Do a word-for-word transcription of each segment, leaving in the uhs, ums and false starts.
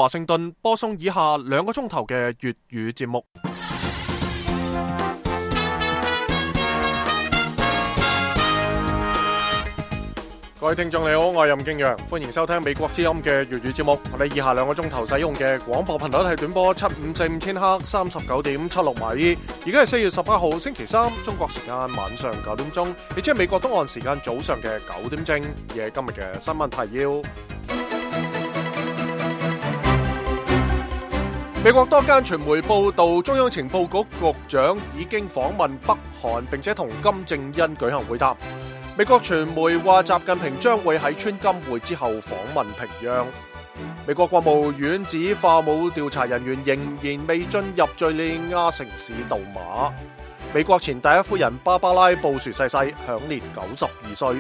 華盛頓播送以下兩個鐘頭嘅粵語節目。各位聽眾你好，我係任敬陽，歡迎收聽美國之音嘅粵語節目。我哋以下兩個鐘頭使用嘅廣播頻率係短波七五四五千赫，三十九點七六米。而家係四月十八號星期三，中國時間晚上九點鐘，亦即係美國東岸時間早上嘅九點正。而係今日嘅新聞提要。美國多間傳媒報道，中央情報局局長已經訪問北韓，並且同金正恩舉行會談。美國傳媒話，習近平將會喺川金會之後訪問平壤。美國國務院指化武調查人員仍然未進入敘利亞城市杜馬。美國前第一夫人芭芭拉布殊逝世，享年九十二歲。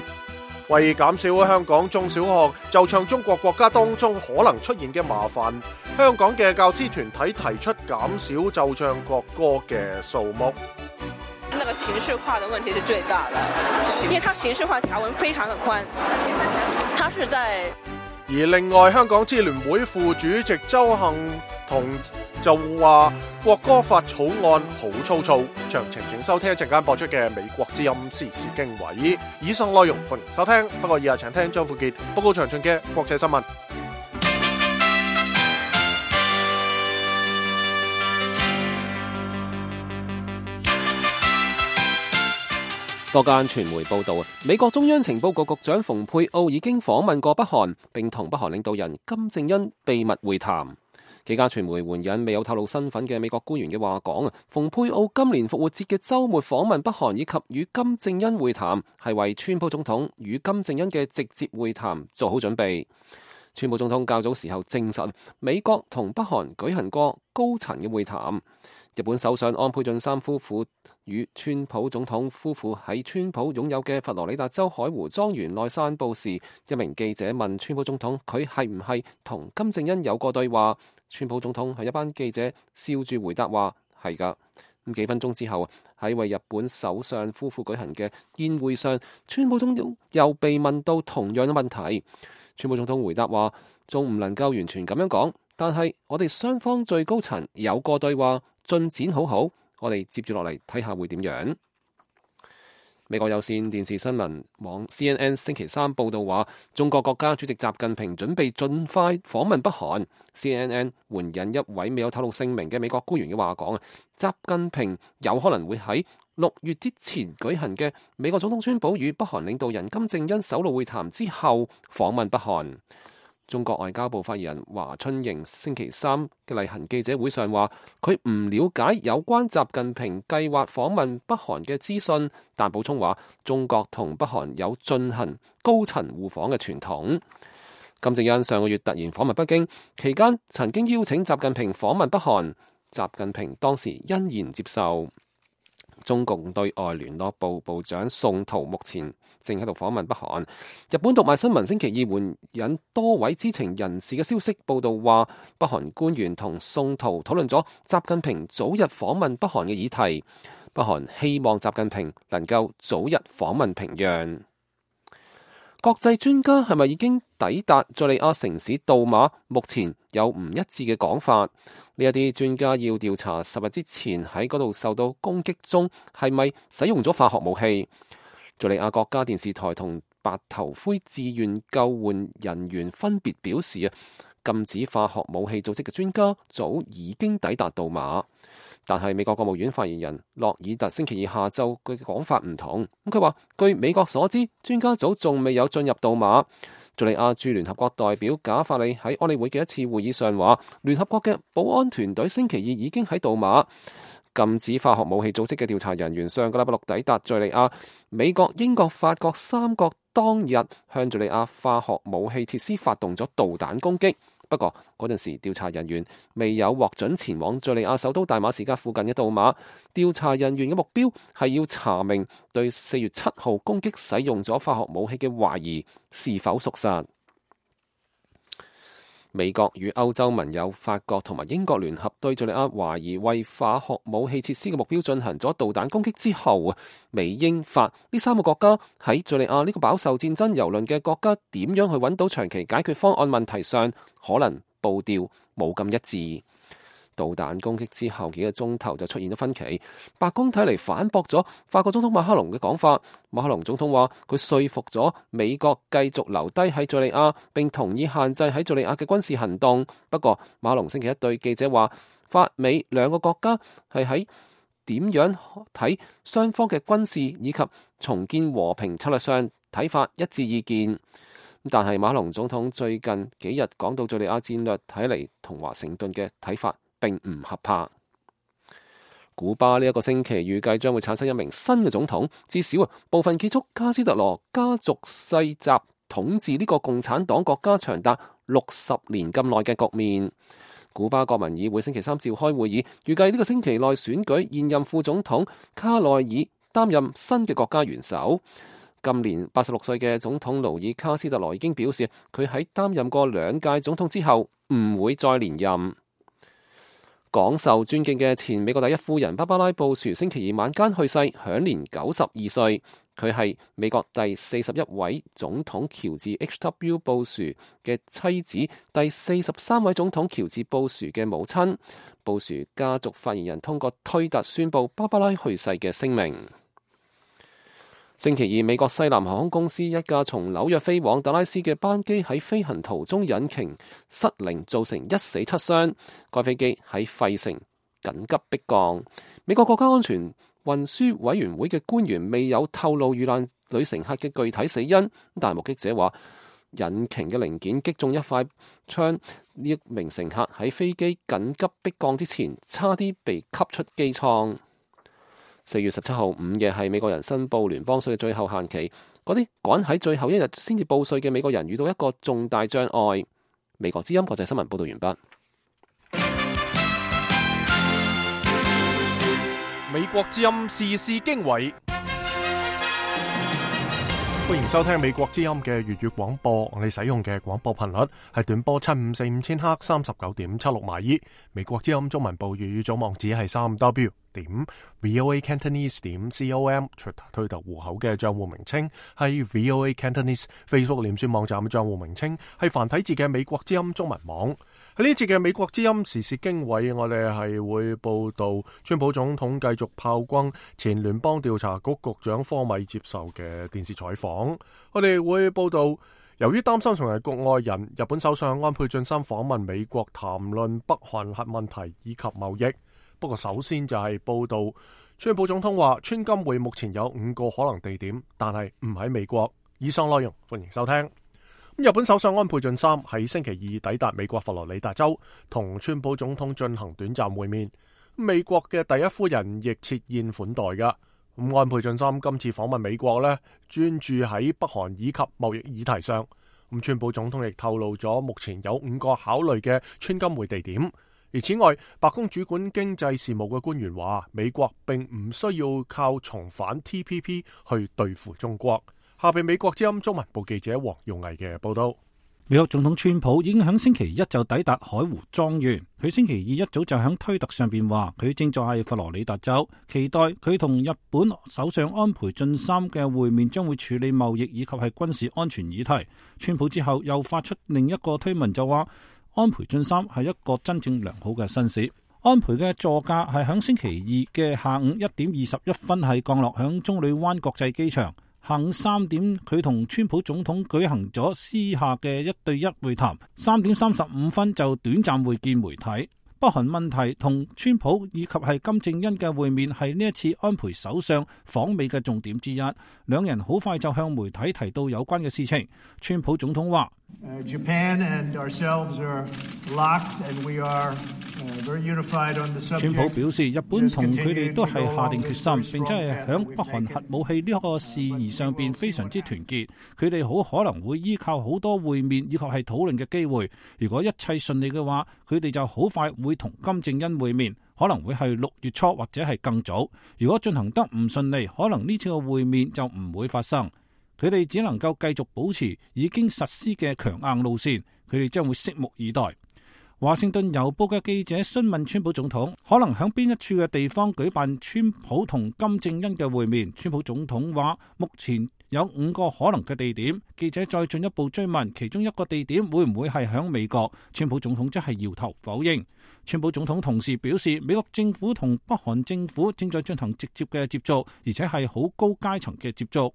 為減少香港中小學就唱中國國家當中可能出現嘅麻煩，香港嘅教師團體提出減少就唱國歌嘅數目。那個形式化的問題是最大的，因為它形式化條文非常的寬，它是在。而另外，香港支聯會副主席周幸彤就話國歌法草案好粗糙。詳情請收聽一陣間播出嘅美國之音時事經緯。以上內容歡迎收聽，不過以下請聽張富傑報告詳盡嘅國際新聞。多間傳媒報道，美國中央情報局局長蓬佩奧已經訪問過北韓，並同北韓領導人金正恩秘密會談。幾家傳媒援引未有透露身份嘅美國官員嘅話講，蓬佩奧今年復活節嘅週末訪問北韓以及與金正恩會談，係為川普總統與金正恩嘅直接會談做好準備。川普總統較早時候證實，美國同北韓舉行過高層嘅會談。日本首相安倍晉三夫婦與川普總統夫婦喺川普擁有嘅佛羅里達州海湖莊園內散步時，一名記者問川普總統佢係唔係同金正恩有過對話，川普總統向一班記者笑住回答話係㗎。咁幾分鐘之後，喺為日本首相夫婦舉行嘅宴會上，川普總統又被問到同樣嘅問題，川普總統回答話仲唔能夠完全咁樣講，但係我哋雙方最高層有過對話，進展好好，我哋接住落嚟睇下會點樣。美國有線電視新聞網 C N N 星期三報道話，中國國家主席習近平準備盡快訪問北韓。C N N 援引一位未有透露姓名嘅美國官員嘅話講，習近平有可能會喺六月之前舉行嘅美國總統川普與北韓領導人金正恩首腦會談之後訪問北韓。中國外交部發言人華春瑩星期三嘅例行記者會上話，佢唔了解有關習近平計劃訪問北韓嘅資訊，但補充話中國同北韓有進行高層互訪嘅傳統。金正恩上個月突然訪問北京，期間曾經邀請習近平訪問北韓，習近平當時欣然接受。中共對外聯絡部部長宋濤目前正喺度訪問北韓。日本讀賣新聞星期二援引多位知情人士嘅消息報道話，北韓官員同宋濤討論咗習近平早日訪問北韓嘅議題。北韓希望習近平能夠早日訪問平壤。國際專家係咪已經抵達敘利亞城市杜馬？目前有唔一致嘅講法。呢一啲專家要調查十日之前喺嗰度受到攻擊中係咪使用咗化學武器。敘利亞國家電視台同白頭盔志願救援人員分別表示啊，禁止化學武器組織嘅專家早已經抵達杜馬。但係美國國務院發言人洛爾特星期二下晝佢嘅講法唔同。咁佢話，據美國所知，專家組仲未有進入杜馬。敘利亞駐聯合國代表賈法里喺安理會嘅一次會議上話，聯合國嘅保安團隊星期二已經喺杜馬。禁止化學武器組織嘅調查人員上個禮拜六抵達敘利亞。美國、英國、法國三國當日向敘利亞化學武器設施發動咗導彈攻擊。不過嗰陣時調查人員未有獲准前往敘利亞首都大馬士革附近嘅杜馬。調查人員嘅目標係要查明對四月七號攻擊使用咗化學武器嘅懷疑是否屬實。美國與歐洲盟友法國同埋英國聯合對敘利亞懷疑為化學武器設施嘅目標進行咗導彈攻擊之後啊，美英法呢三個國家喺敘利亞呢個飽受戰爭蹂躪嘅國家點樣去揾到長期解決方案問題上，可能步調冇咁一致。導彈攻擊之後幾個鐘頭就出現咗分歧，白宮睇嚟反駁咗法國總統馬克龍嘅講法。馬克龍總統話佢說服咗美國繼續留低喺敘利亞，並同意限制喺敘利亞嘅軍事行動。不過馬克龍星期一對記者話，法美兩個國家係喺點樣睇雙方嘅軍事以及重建和平策略上睇法一致意見。但係馬克龍總統最近幾日講到敘利亞戰略，睇嚟同華盛頓嘅睇法並唔合拍。古巴呢一個星期預計將會產生一名新嘅總統，至少啊部分結束卡斯特羅家族世襲統治呢個共產黨國家長達六十年咁耐嘅局面。古巴國民議會星期三召開會議，預計呢個星期內選舉現任副總統卡內爾擔任新嘅國家元首。今年八十六歲嘅總統勞爾卡斯特羅已經表示，佢喺擔任過兩屆總統之後唔會再連任。廣受尊敬嘅前美國第一夫人芭芭拉布殊星期二晚間去世，享年九十二歲。佢係美國第四十一位總統喬治 H W 布殊嘅妻子，第四十三位總統喬治布殊嘅母親。布殊家族發言人通過推特宣布芭芭拉去世嘅聲明。星期二，美國西南航空公司一架從紐約飛往達拉斯嘅班機喺飛行途中引擎失靈，造成一死七傷。該飛機喺費城緊急迫降。美國國家安全運輸委員會嘅官員未有透露遇難女乘客嘅具體死因，但目擊者話引擎嘅零件擊中一塊窗，呢一名乘客喺飛機緊急迫降之前差啲被吸出機艙。四月十七號午夜係美國人申報聯邦稅嘅最後限期，嗰啲趕喺最後一日先至報稅嘅美國人遇到一個重大障礙。美國之音國際新聞報道完畢。美國之音時事經緯，歡迎收聽美國之音嘅粵語廣播。我哋使用嘅廣播頻率係短波七五四五千赫三十九點七六馬爾。美國之音中文部粵語總網址係三 w 點 voa cantonese 點 com。推特戶口嘅賬戶名稱係 voa cantonese。Facebook 臉書網站嘅賬戶名稱係繁體字嘅美國之音中文網。喺呢節嘅美國之音時事經緯，我哋係會報道川普總統繼續炮轟前聯邦調查局局長科米接受嘅電視採訪。我哋會報道，由於擔心成為局外人，日本首相安倍晉三訪問美國談論北韓核問題以及貿易。不過首先就係報道，川普總統話川金會目前有五個可能地點，但係唔喺美國。以上內容歡迎收聽。日本首相安倍晉三喺星期二抵達美國佛羅里達州，同川普總統進行短暫會面。美國嘅第一夫人亦設宴款待噶。咁安倍晉三今次訪問美國呢，專注喺北韓以及貿易議題上。咁川普總統亦透露咗目前有五個考慮嘅川金會地點。而此外，白宮主管經濟事務嘅官員話，美國並唔需要靠重返 T P P 去對付中國。下邊美國之音中文部記者黃耀毅嘅報道。美國總統川普已經喺星期一就抵達海湖莊園。佢星期二一早就喺推特上邊話，佢正在喺佛羅里達州，期待佢同日本首相安倍晉三嘅會面將會處理貿易以及係軍事安全議題。川普之後又發出另一個推文就話，安倍晉三係一個真正良好嘅紳士。安倍嘅座駕係喺星期二嘅下午一點二十一分係降落響棕櫚灣國際機場。下午三點，佢同川普總統舉行咗私下嘅一對一會談。三點三十五分就短暫會見媒體。北韓問題同川普以及係金正恩嘅會面係呢一次安倍首相訪美嘅重點之一。兩人好快就向媒體提到有關嘅事情。川普總統話Uh, Japan and ourselves are locked, and we are uh, very unified on the subject. 川普表示，日本同佢哋都係下定決心，並且係響北韓核武器呢個事宜上邊非常之團結。佢哋好可能會依靠好多會面以及係討論嘅機會。如果一切順利嘅話，佢哋就好快會同金正恩會面，可能會係六月初或者係更早。如果進行得唔順利，可能呢次嘅會面就唔會發生。佢哋只能夠繼續保持已經實施嘅強硬路線，佢哋將會拭目以待。華盛頓郵報嘅記者詢問川普總統可能響邊一處嘅地方舉辦川普同金正恩嘅會面，川普總統話目前有五個可能嘅地點。記者再進一步追問其中一個地點會唔會係響美國，川普總統則係搖頭否認。川普總統同時表示，美國政府同北韓政府正在進行直接嘅接觸，而且係好高階層嘅接觸。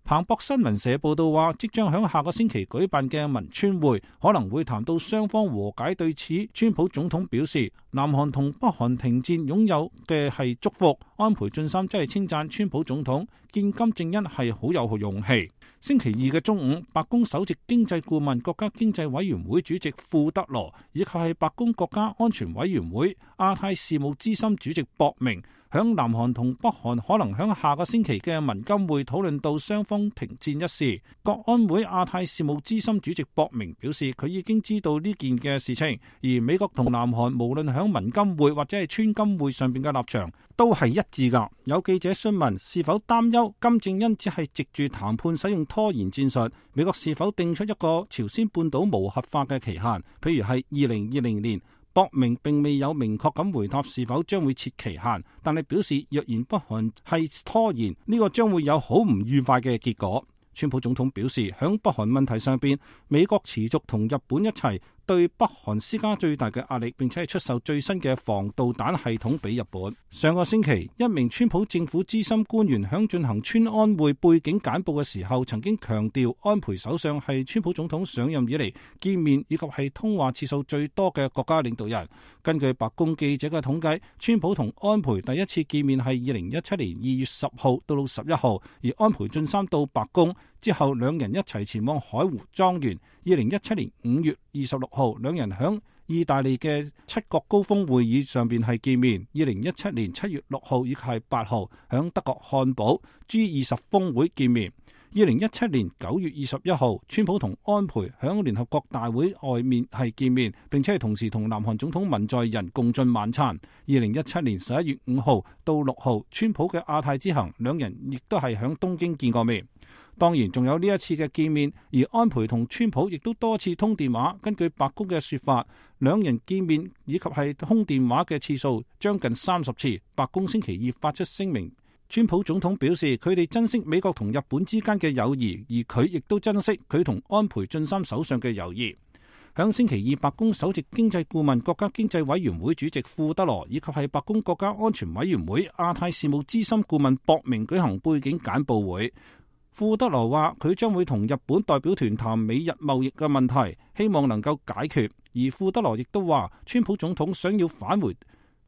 彭博新聞社報道話，即將響下個星期舉辦嘅文川會可能會談到雙方和解。對此，川普總統表示，南韓同北韓停戰擁有嘅係祝福。安倍晉三真係稱讚川普總統見金正恩係好有勇氣。星期二嘅中午，白宮首席經濟顧問、國家經濟委員會主席庫德羅，以及係白宮國家安全委員會亞太事務資深主席博明，響南韓同北韓可能響下個星期嘅文金會討論到雙方停戰一事。國安會亞太事務資深主席博明表示，佢已經知道呢件嘅事情，而美國同南韓無論響文金會或者係川金會上邊嘅立場都係一致噶。有記者詢問是否擔憂金正恩只係藉住談判使用拖延戰術，美國是否定出一個朝鮮半島無核化嘅期限，譬如係二零二零年。博明並未有明確咁回答是否將會設期限，但係表示若然北韓係拖延，呢個將會有好唔愉快嘅結果。川普總統表示，響北韓問題上邊，美國持續同日本一齊對北韓施加最大嘅壓力，並且係出售最新嘅防導彈系統俾日本。上個星期，一名川普政府資深官員響進行川安會背景簡報嘅時候，曾經強調安倍首相係川普總統上任以嚟見面以及係通話次數最多嘅國家領導人。根據白宮記者嘅統計，川普同安倍第一次見面係二零一七年二月十號到到十一號，而安倍晉三到白宮之後，兩人一齊前往海湖莊園。二零一七年五月二十六號，兩人響意大利嘅七國高峰會議上邊係見面。二零一七年七月六號以及係八號，響德國漢堡 G 二十峰會見面。二零一七年九月二十一號，川普同安倍響聯合國大會外面係見面，並且係同時同南韓總統文在寅共進晚餐。二零一七年十一月五號到六號，川普嘅亞太之行，兩人亦都係響東京見過面。當然仲有呢一次嘅見面，而安倍同川普亦都多次通電話。根據白宮嘅說法，兩人見面以及係通電話嘅次數將近三十次。白宮星期二發出聲明，川普總統表示佢哋珍惜美國同日本之間嘅友誼，而佢亦都珍惜佢同安倍晉三首相嘅友誼。響星期二，白宮首席經濟顧問、國家經濟委員會主席庫德羅以及係白宮國家安全委員會亞太事務資深顧問博明舉行背景簡報會。庫德羅話佢將會同日本代表團談美日貿易嘅問題，希望能夠解決。而庫德羅亦都話，川普總統想要返回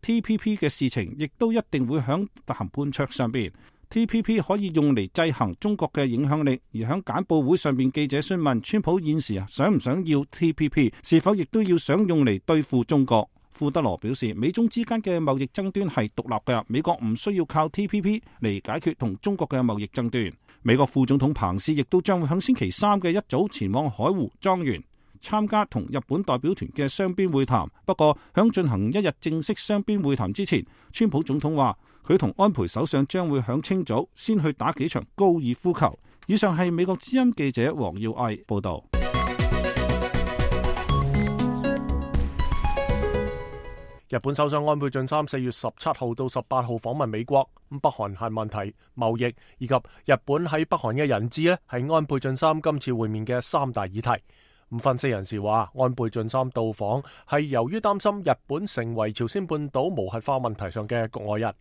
T P P 嘅事情，亦都一定會響談判桌上邊。T P P 可以用嚟制衡中國嘅影響力。而響簡報會上邊，記者詢問川普現時想唔想要 T P P， 是否亦都要想用嚟對付中國。庫德羅表示，美中之間嘅貿易爭端係獨立嘅，美國唔需要靠 T P P 嚟解決同中國嘅貿易爭端。美國副總統彭斯亦都將會喺星期三嘅一早前往海湖莊園參加同日本代表團嘅雙邊會談。不過響進行一日正式雙邊會談之前，川普總統話佢同安倍首相將會響清早先去打幾場高爾夫球。以上係美國之音記者黃耀毅報道。日本首相安倍晉三四月十七號到十八號訪問美國，咁北韓核問題、貿易以及日本喺北韓嘅人質呢，係安倍晉三今次會面嘅三大議題。咁分析人士話，安倍晉三到訪係由於擔心日本成為朝鮮半島無核化問題上嘅局外人。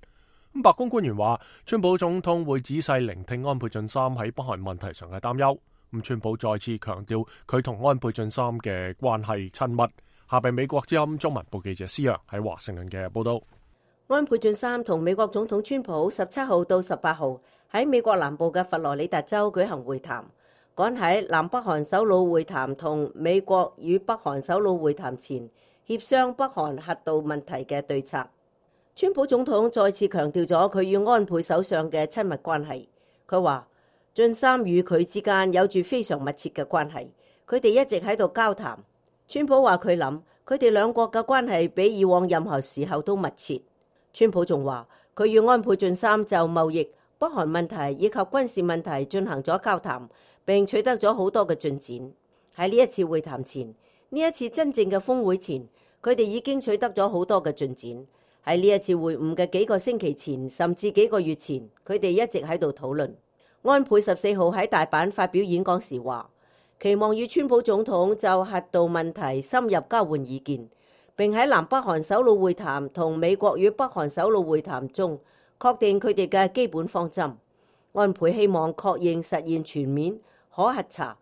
咁白宮官員話，川普總統會仔細聆聽安倍晉三喺北韓問題上嘅擔憂。咁川普再次強調佢同安倍晉三嘅關係親密。下邊美國之音中文部記者施洋喺華盛頓嘅報道。安倍晉三同美國總統川普十七號到十八號喺美國南部嘅佛羅里達州舉行會談，趕喺南北韓首腦會談同美國與北韓首腦會談前協商北韓核導問題嘅對策。川普總統再次強調咗佢與安倍首相嘅親密關係。佢話晉三與佢之間有住非常密切嘅關係，佢哋一直喺度交談。川普話佢諗佢哋兩國嘅關係比以往任何時候都密切。川普仲話佢與安倍晉三就貿易、北韓問題以及軍事問題進行咗交談，並取得咗好多嘅進展。喺呢一次會談前，呢一次真正嘅峰會前，佢哋已經取得咗好多嘅進展。喺呢一次會晤嘅幾個星期前，甚至幾個月前，佢哋一直喺度討論。安倍十四號喺大阪發表演講時話，期望與川普總統就核導問題深入交換意見，並喺南北韓首腦會談同美國與北韓首腦會談中確定佢哋嘅基本方針。安倍希望確認實現全面可核查、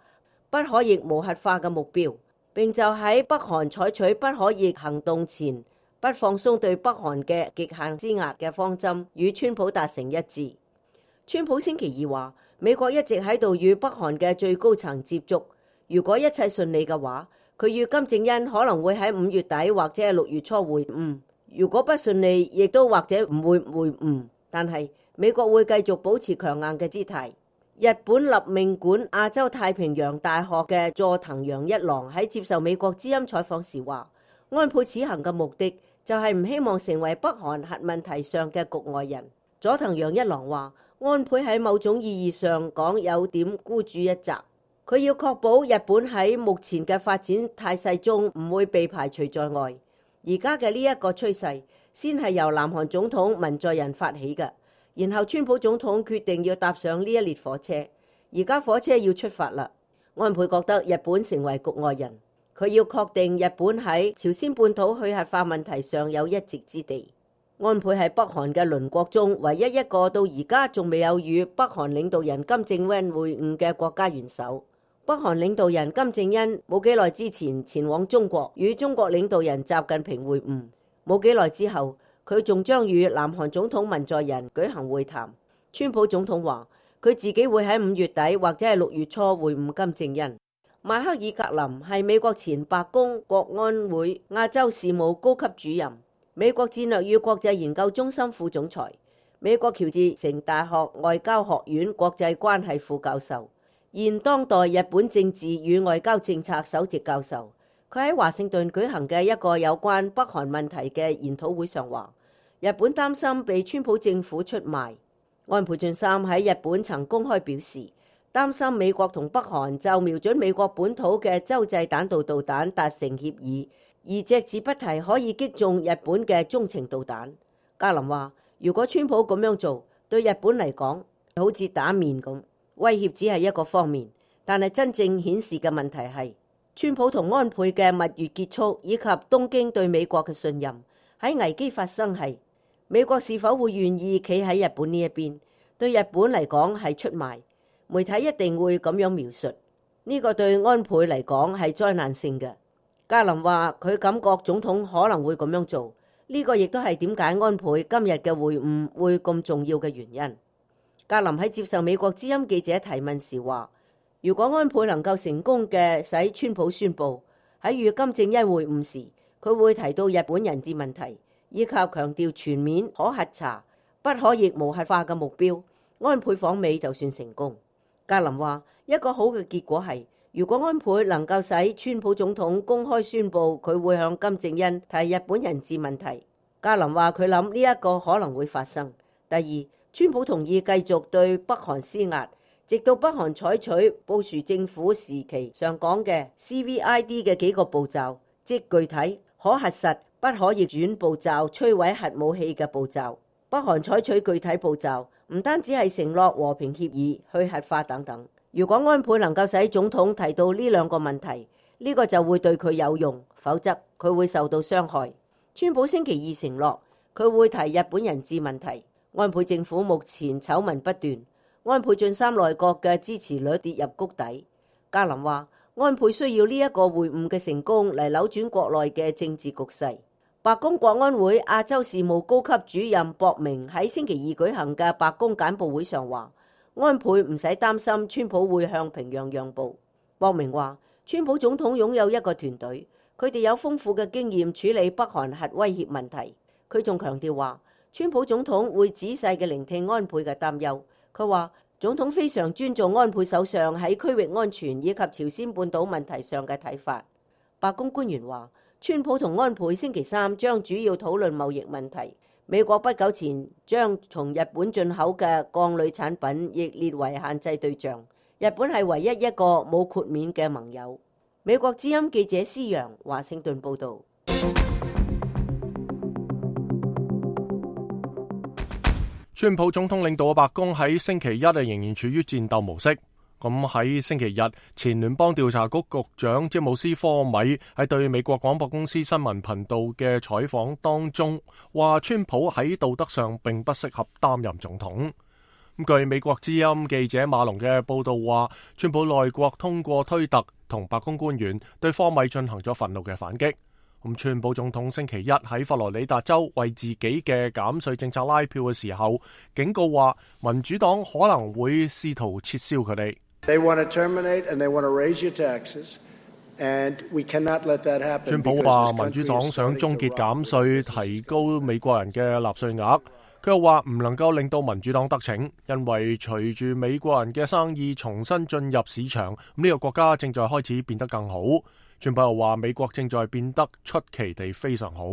不可逆無核化嘅目標，並就喺北韓採取不可逆行動前不放鬆對北韓嘅極限施壓嘅方針，與川普達成一致。川普星期二話，美國一直喺度與北韓嘅最高層接觸，如果一切順利嘅話，佢與金正恩可能會喺五月底或者係六月初會晤。如果不順利，亦都或者唔會會晤。但係美國會繼續保持強硬嘅姿態。日本立命館亞洲太平洋大學嘅佐藤陽一郎喺接受美國之音採訪時話，安倍此行嘅目的就係唔希望成為北韓核問題上嘅局外人。佐藤陽一郎話，安倍喺某種意義上講有點孤注一擲，佢要確保日本喺目前嘅發展態勢中唔會被排除在外。而家嘅呢一個趨勢先係由南韓總統文在寅發起嘅，然後川普總統決定要搭上呢一列火車，而家火車要出發啦。安倍覺得日本成為局外人，佢要確定日本喺朝鮮半島去核化問題上有一席之地。安倍係北韓嘅鄰國中唯一一個到而家仲未有與北韓領導人金正恩會晤嘅國家元首。北韓領導人金正恩冇幾耐之前前往中國與中國領導人習近平會晤，冇幾耐之後佢仲將與南韓總統文在寅舉行會談。川普總統話佢自己會喺五月底或者係六月初會晤金正恩。邁克爾格林係美國前白宮國安會亞洲事務高級主任，美國戰略與國際研究中心副總裁，美國喬治城大學外交學院國際關係副教授，現當代日本政治與外交政策首席教授。佢喺華盛頓舉行嘅一個有關北韓問題嘅研討會上話，日本擔心被川普政府出賣。安倍晉三喺日本曾公開表示，擔心美國同北韓就瞄準美國本土嘅洲際彈道導彈達成協議，而隻字不提可以擊中日本嘅中程導彈。加林話，如果川普咁樣做，對日本嚟講好似打面咁，威脅只係一個方面，但係真正顯示嘅問題係川普同安倍嘅蜜月結束，以及東京對美國嘅信任。喺危機發生係美國是否會願意企喺日本呢一邊，對日本嚟講係出賣。媒體一定會咁樣描述，呢個對安倍嚟講係災難性嘅。加林話佢感覺總統可能會咁樣做，呢個亦都係點解安倍今日嘅會晤會咁重要嘅原因。加林喺接受美國之音記者提問時話，如果安倍能夠成功嘅使川普宣布喺與金正恩會晤時，佢會提到日本人質問題，以及強調全面可核查、不可逆無核化嘅目標，安倍訪美就算成功。加林話一個好嘅結果係，如果安倍能夠使川普總統公開宣布佢會向金正恩提日本人質問題。加林話佢諗呢一個可能會發生。第二，川普同意繼續對北韓施壓，直到北韓採取布殊政府時期上講嘅 C V I D 嘅幾個步驟，即具體、可核實、不可逆轉步驟，摧毀核武器嘅步驟。北韓採取具體步驟，唔單止係承諾和平協議、去核化等等。如果安倍能夠使總統提到呢兩個問題，呢個就會對佢有用，否則佢會受到傷害。川普星期二承諾佢會提日本人質問題。安倍政府目前醜聞不斷，安倍晉三內閣嘅支持率跌入谷底。加林話安倍需要呢一個會晤嘅成功嚟扭轉國內嘅政治局勢。白宮國安會亞洲事務高級主任博明喺星期二舉行嘅白宮簡報會上話，安倍唔使擔心川普會向平壤讓步。博明話，川普總統擁有一個團隊，佢哋有豐富嘅經驗處理北韓核威脅問題。佢仲強調話，川普總統會仔細嘅聆聽安倍嘅擔憂。佢話，總統非常尊重安倍首相喺區域安全以及朝鮮半島問題上嘅睇法。白宮官員話，川普同安倍星期三將主要討論貿易問題。美國不久前將從日本進口嘅鋼鋁產品亦列為限制對象。日本係唯一一個冇豁免嘅盟友。美國之音記者施洋華盛頓報導。川普總統領導嘅白宮喺星期一仍然處於戰鬥模式。咁喺星期日，前聯邦調查局局長詹姆斯科米喺對美國廣播公司新聞頻道嘅採訪當中，話川普喺道德上並不適合擔任總統。咁據美國之音記者馬龍嘅報道話，川普內閣通過推特同白宮官員對科米進行咗憤怒嘅反擊。咁川普總統星期一喺佛羅里達州為自己嘅減稅政策拉票嘅時候，警告話民主黨可能會試圖撤銷佢哋。They want to terminate and they want to raise your taxes, and we cannot let that happen. 川普話民主黨想終結減稅，提高美國人嘅納稅額。佢又話唔能夠令到民主黨得逞，因為隨住美國人嘅生意重新進入市場，呢個國家正在開始變得更好。川普又話美國正在變得出奇地非常好。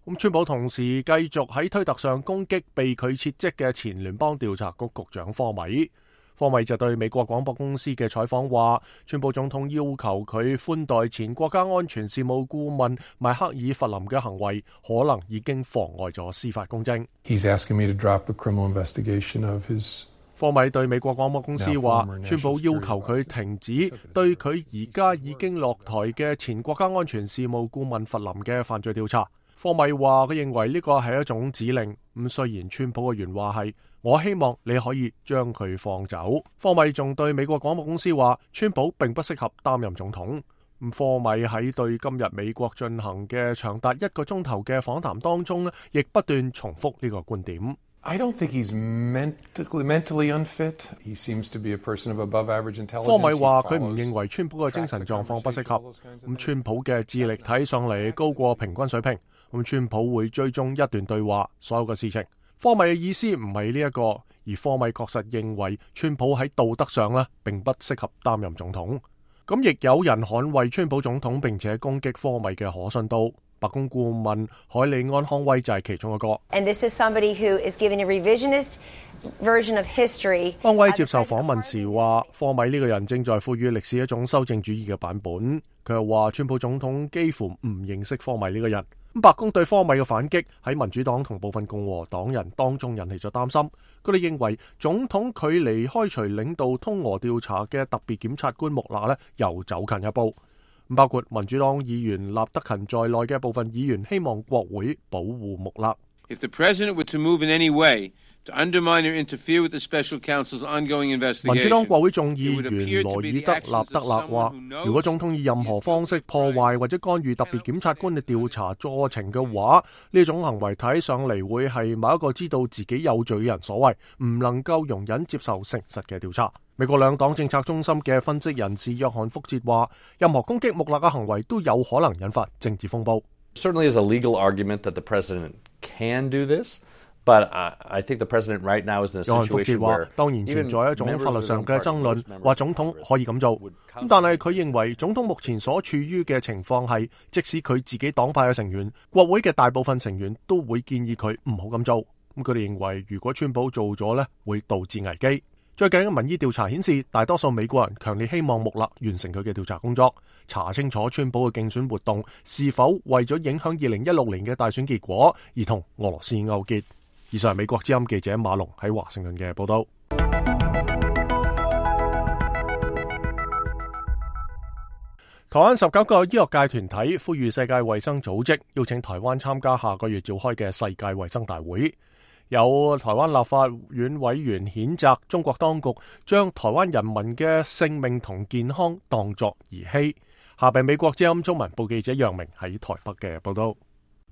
咁川普同時繼續喺推特上攻擊被佢撤職嘅前聯邦調查局局長科米。科米就對美國廣播公司嘅採訪話，川普總統要求佢寬待前國家安全事務顧問邁克爾弗林嘅行為，可能已經妨礙咗司法公正。He's asking me to drop a criminal investigation of his 科米對美國廣播公司話，川普要求佢停止對佢而家已經落台嘅前國家安全事務顧問弗林嘅犯罪調查。科米話佢認為呢個係一種指令。咁雖然川普嘅原話係我希望你可以將佢放走，科米仲對美國廣播公司話，川普並不適合擔任總統。咁科米喺對今日美國進行嘅長達一個鐘頭嘅訪談當中呢，亦不斷重複呢個觀點。I don't think he's mentally, mentally unfit. He seems to be a person of above average intelligence. 科米話佢唔認為川普嘅精神狀況不適合。咁川普嘅智力睇上嚟高過平均水平。咁川普會追蹤一段對話，所有嘅事情。科米嘅意思唔係呢一個，而科米確實認為川普喺道德上呢並不適合擔任總統。咁亦有人捍衛川普總統，並且攻擊科米嘅可信度。白宮顧問海利安康威就係其中一個。And this is somebody who is giving a revisionist version of history. 康威接受訪問時話，科米呢個人正在賦予歷史一種修正主義嘅版本。佢又話，川普總統幾乎唔認識科米呢個人。咁白宮對科米嘅反擊喺民主黨同部分共和黨人當中引起咗擔心。佢哋認為總統距離開除領導通俄調查嘅特別檢察官穆勒呢又走近一步。包括民主黨議員納德勤在內嘅部分議員希望國會保護穆勒。If the president were to move in any way to undermine or interfere with the special counsel's ongoing investigation, 民主黨國會眾議員羅爾德納德勒話，如果總統以任何方式破壞或者干預特別檢察官嘅調查過程嘅話，呢種行為睇上嚟會係某一個知道自己有罪嘅人所為，唔能夠容忍接受誠實嘅調查。美國兩黨政策中心嘅分析人士約翰福捷話，任何攻擊穆勒嘅行為都有可能引發政治風暴。Certainly is a legal argument that the president can do this, but I think the president right now is in a situation where 約翰福捷話，當然存在一種法律上嘅爭論，話總統可以咁做。咁但係佢認為總統目前所處於嘅情況係，即使佢自己黨派嘅成員、國會嘅大部分成員都會建議佢唔好咁做。咁佢哋認為，如果川普做咗呢，會導致危機。最近嘅民意調查顯示，大多數美國人強烈希望穆勒完成佢嘅調查工作，查清楚川普嘅競選活動是否為咗影響二零一六年嘅大選結果而同俄羅斯勾結。以上係美國之音記者馬龍喺華盛頓嘅報道。台灣十九個醫學界團體呼籲世界衛生組織邀請台灣參加下個月召開嘅世界衛生大會。有台灣立法院委員譴責中國當局將台灣人民嘅性命同健康當作兒戲。下邊美國之音中文部記者楊明喺台北嘅報道。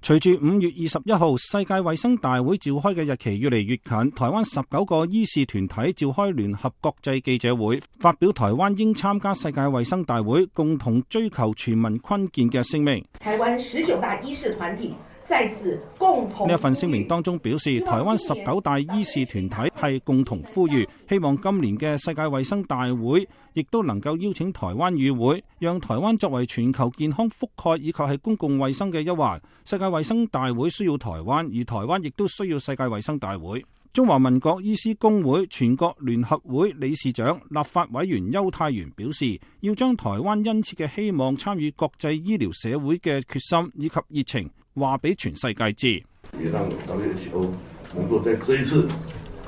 隨住五月二十一號世界衛生大會召開嘅日期越嚟越近，台灣十九個醫事團體召開聯合國際記者會，發表台灣應參加世界衛生大會，共同追求全民坤健嘅聲明。台灣十九大醫事團體再次共同呢一份聲明當中表示，台灣十九大醫事團體係共同呼籲，希望今年嘅世界衛生大會亦都能夠邀請台灣與會，讓台灣作為全球健康覆蓋以及係公共衛生嘅一環。世界衛生大會需要台灣，而台灣亦都需要世界衛生大會。中華民國醫師公會全國聯合會理事長、立法委員邱泰元表示，要將台灣殷切嘅希望參與國際醫療社會嘅決心以及熱情話俾全世界知。也讓 W H O 工作在這一次。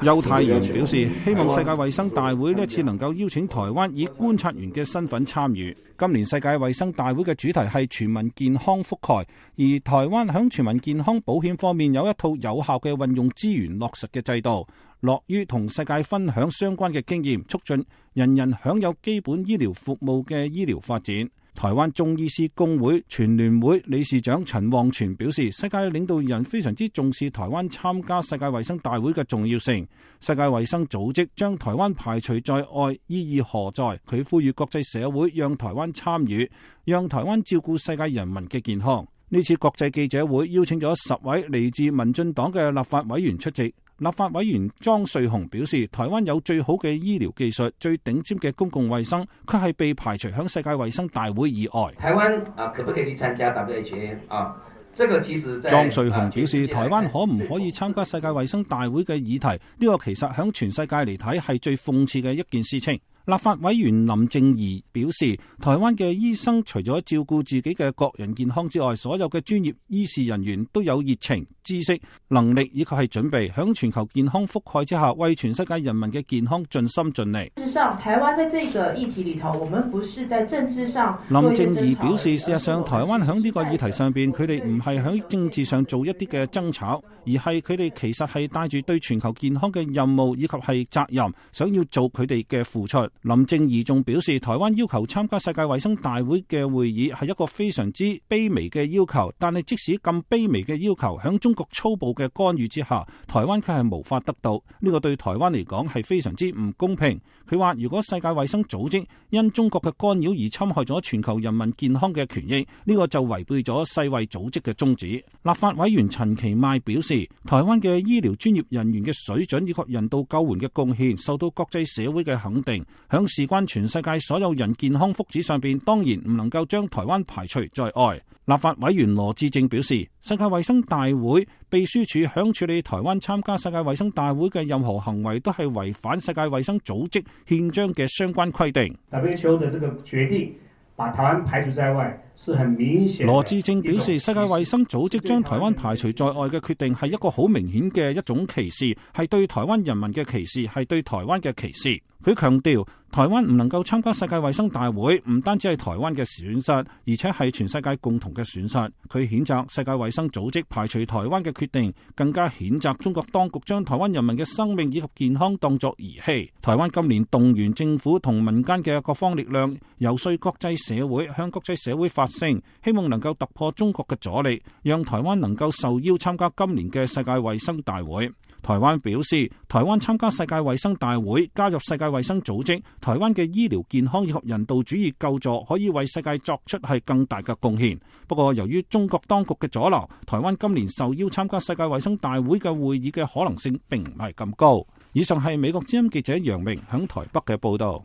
邱太元表示，希望世界衛生大會呢一次能夠邀請台灣以觀察員嘅身份參與。今年世界衛生大會嘅主題係全民健康覆蓋，而台灣響全民健康保險方面有一套有效嘅運用資源落實嘅制度，樂於同世界分享相關嘅經驗，促進人人享有基本醫療服務嘅醫療發展。台灣中醫師公會全聯會理事長陳旺全表示，世界領導人非常之重視台灣參加世界衛生大會嘅重要性。世界衛生組織將台灣排除在外，意義何在？佢呼籲國際社會讓台灣參與，讓台灣照顧世界人民嘅健康。呢次國際記者會邀請咗十位嚟自民進黨嘅立法委員出席。立法委員莊瑞雄表示，台灣有最好嘅醫療技術、最頂尖嘅公共衛生，卻係被排除響世界衛生大會以外。台灣啊，可不可以去參加 W H A 啊？這個其實在莊瑞雄表示，台灣可唔可以參加世界衛生大會嘅議題，呢個其實響全世界嚟睇係最諷刺嘅一件事情。立法委員林正儀表示，台灣嘅醫生除咗照顧自己嘅個人健康之外，所有嘅專業醫事人員都有熱情、知識、能力以及係準備，響全球健康覆蓋之下，為全世界人民嘅健康盡心盡力。事實上，台灣在這個議題裏頭，我們不是在政治上。林正儀表示，事實上台灣響呢個議題上邊，佢哋唔係響政治上做一啲嘅爭吵，而係佢哋其實係帶住對全球健康嘅任務以及係責任，想要做佢哋嘅付出。林正儀仲表示，台灣要求參加世界衛生大會嘅會議係一個非常之卑微嘅要求，但係即使咁卑微嘅要求，響中國粗暴嘅干預之下，台灣卻係無法得到。呢個對台灣嚟講係非常之唔公平。佢話，如果世界衛生組織因中國嘅干擾而侵害咗全球人民健康嘅權益，呢個就違背咗世衛組織嘅宗旨。立法委員陳其邁表示，台灣嘅醫療專業人員嘅水準以及人道救援嘅貢獻受到國際社會嘅肯定，響事關全世界所有人健康福祉上邊，當然唔能夠將台灣排除在外。立法委員羅致政表示，世界衛生大會秘書處響處理台灣參加世界衛生大會嘅任何行為，都係違反世界衛生組織憲章嘅相關規定。W H O 的這個決定把台灣排除在外，是很明顯。羅致政表示，世界衛生組織將台灣排除在外嘅決定係一個好明顯嘅一種歧視，係對台灣人民嘅歧視，係對台灣嘅歧視。佢強調，台灣唔能夠參加世界衛生大會，唔單止係台灣嘅損失，而且係全世界共同嘅損失。佢譴責世界衛生組織排除台灣嘅決定，更加譴責中國當局將台灣人民嘅生命以及健康當作兒戲。台灣今年動員政府同民間嘅各方力量，游說國際社會，向國際社會發聲，希望能夠突破中國嘅阻力，讓台灣能夠受邀參加今年嘅世界衛生大會。台灣表示，台灣參加世界衛生大會，加入世界衛生組織，台灣嘅醫療健康以及人道主義救助可以為世界作出係更大嘅貢獻。不過，由於中國當局嘅阻撓，台灣今年受邀參加世界衛生大會嘅會議嘅可能性並唔係咁高。以上係美國之音記者楊明響台北嘅報道。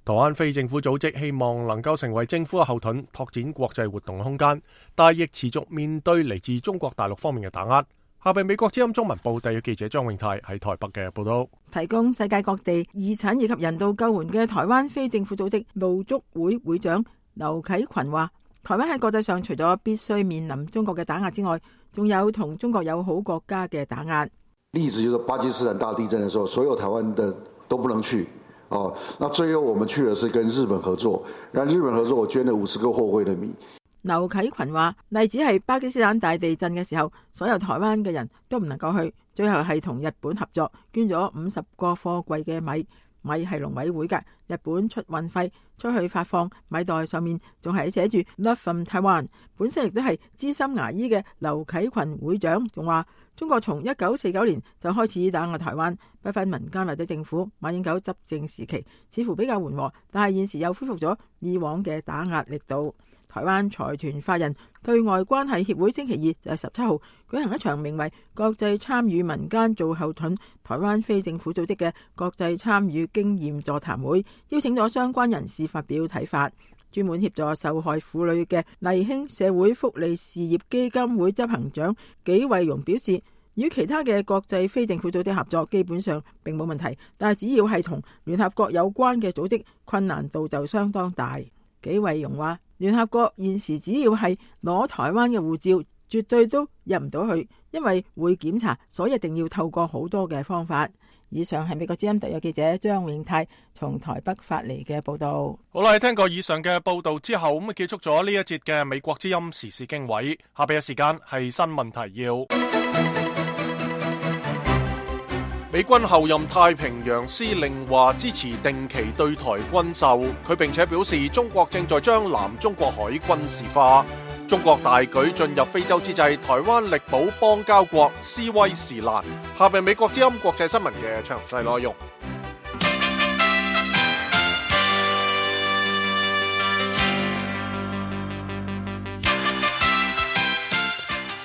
台灣非政府組織希望能夠成為政府嘅後盾，拓展國際活動嘅空間，但亦持續面對嚟自中國大陸方面嘅打壓。下邊美國之音中文報第嘅記者張永泰喺台北嘅報道。提供世界各地義診以及人道救援嘅台灣非政府組織路竹會會長劉啟群話，台灣喺國際上除咗必須面臨中國嘅打壓之外，仲有同中國友好國家嘅打壓。例子就是巴基斯坦大地震嘅時候，所有台灣的都不能去。哦，那最後我們去的是跟日本合作，然後日本合作，我捐了五十個貨櫃的米。劉啟群話，例子係巴基斯坦大地震嘅時候，所有台灣嘅人都唔能夠去，最後係同日本合作，捐咗五十個貨櫃嘅米。米係農委會嘅，日本出運費出去發放米袋，上面仲係寫住 Love from Taiwan。本身亦都係資深牙醫嘅劉啟群會長仲話，中國從一九四九年就開始打壓台灣，不分民間或者政府。馬英九執政時期似乎比較緩和，但係現時又恢復咗以往嘅打壓力度。台灣財團法人對外關係協會星期二就係十七號舉行一場名為國際參與民間做後盾台灣非政府組織嘅國際參與經驗座談會，邀請咗相關人士發表睇法。專門協助受害婦女嘅勵興社會福利事業基金會執行長紀惠容表示，與其他嘅國際非政府組織合作基本上並冇問題，但係只要係同聯合國有關嘅組織，困難度就相當大。紀惠容話，聯合國現時只要係攞台灣嘅護照，絕對都入唔到去，因為會檢查，所以一定要透過好多嘅方法。以上係美國之音特約記者張永泰從台北發嚟嘅報道。好啦，聽過以上嘅報道之後，咁結束咗呢一節嘅美國之音時事經緯。下邊嘅時間係新聞提要。美軍後任太平洋司令話支持定期對台軍售，佢並且表示中國正在將南中國海軍事化。中國大舉進入非洲之際，台灣力保邦交國斯威士蘭。下邊美國之音國際新聞嘅詳細內容。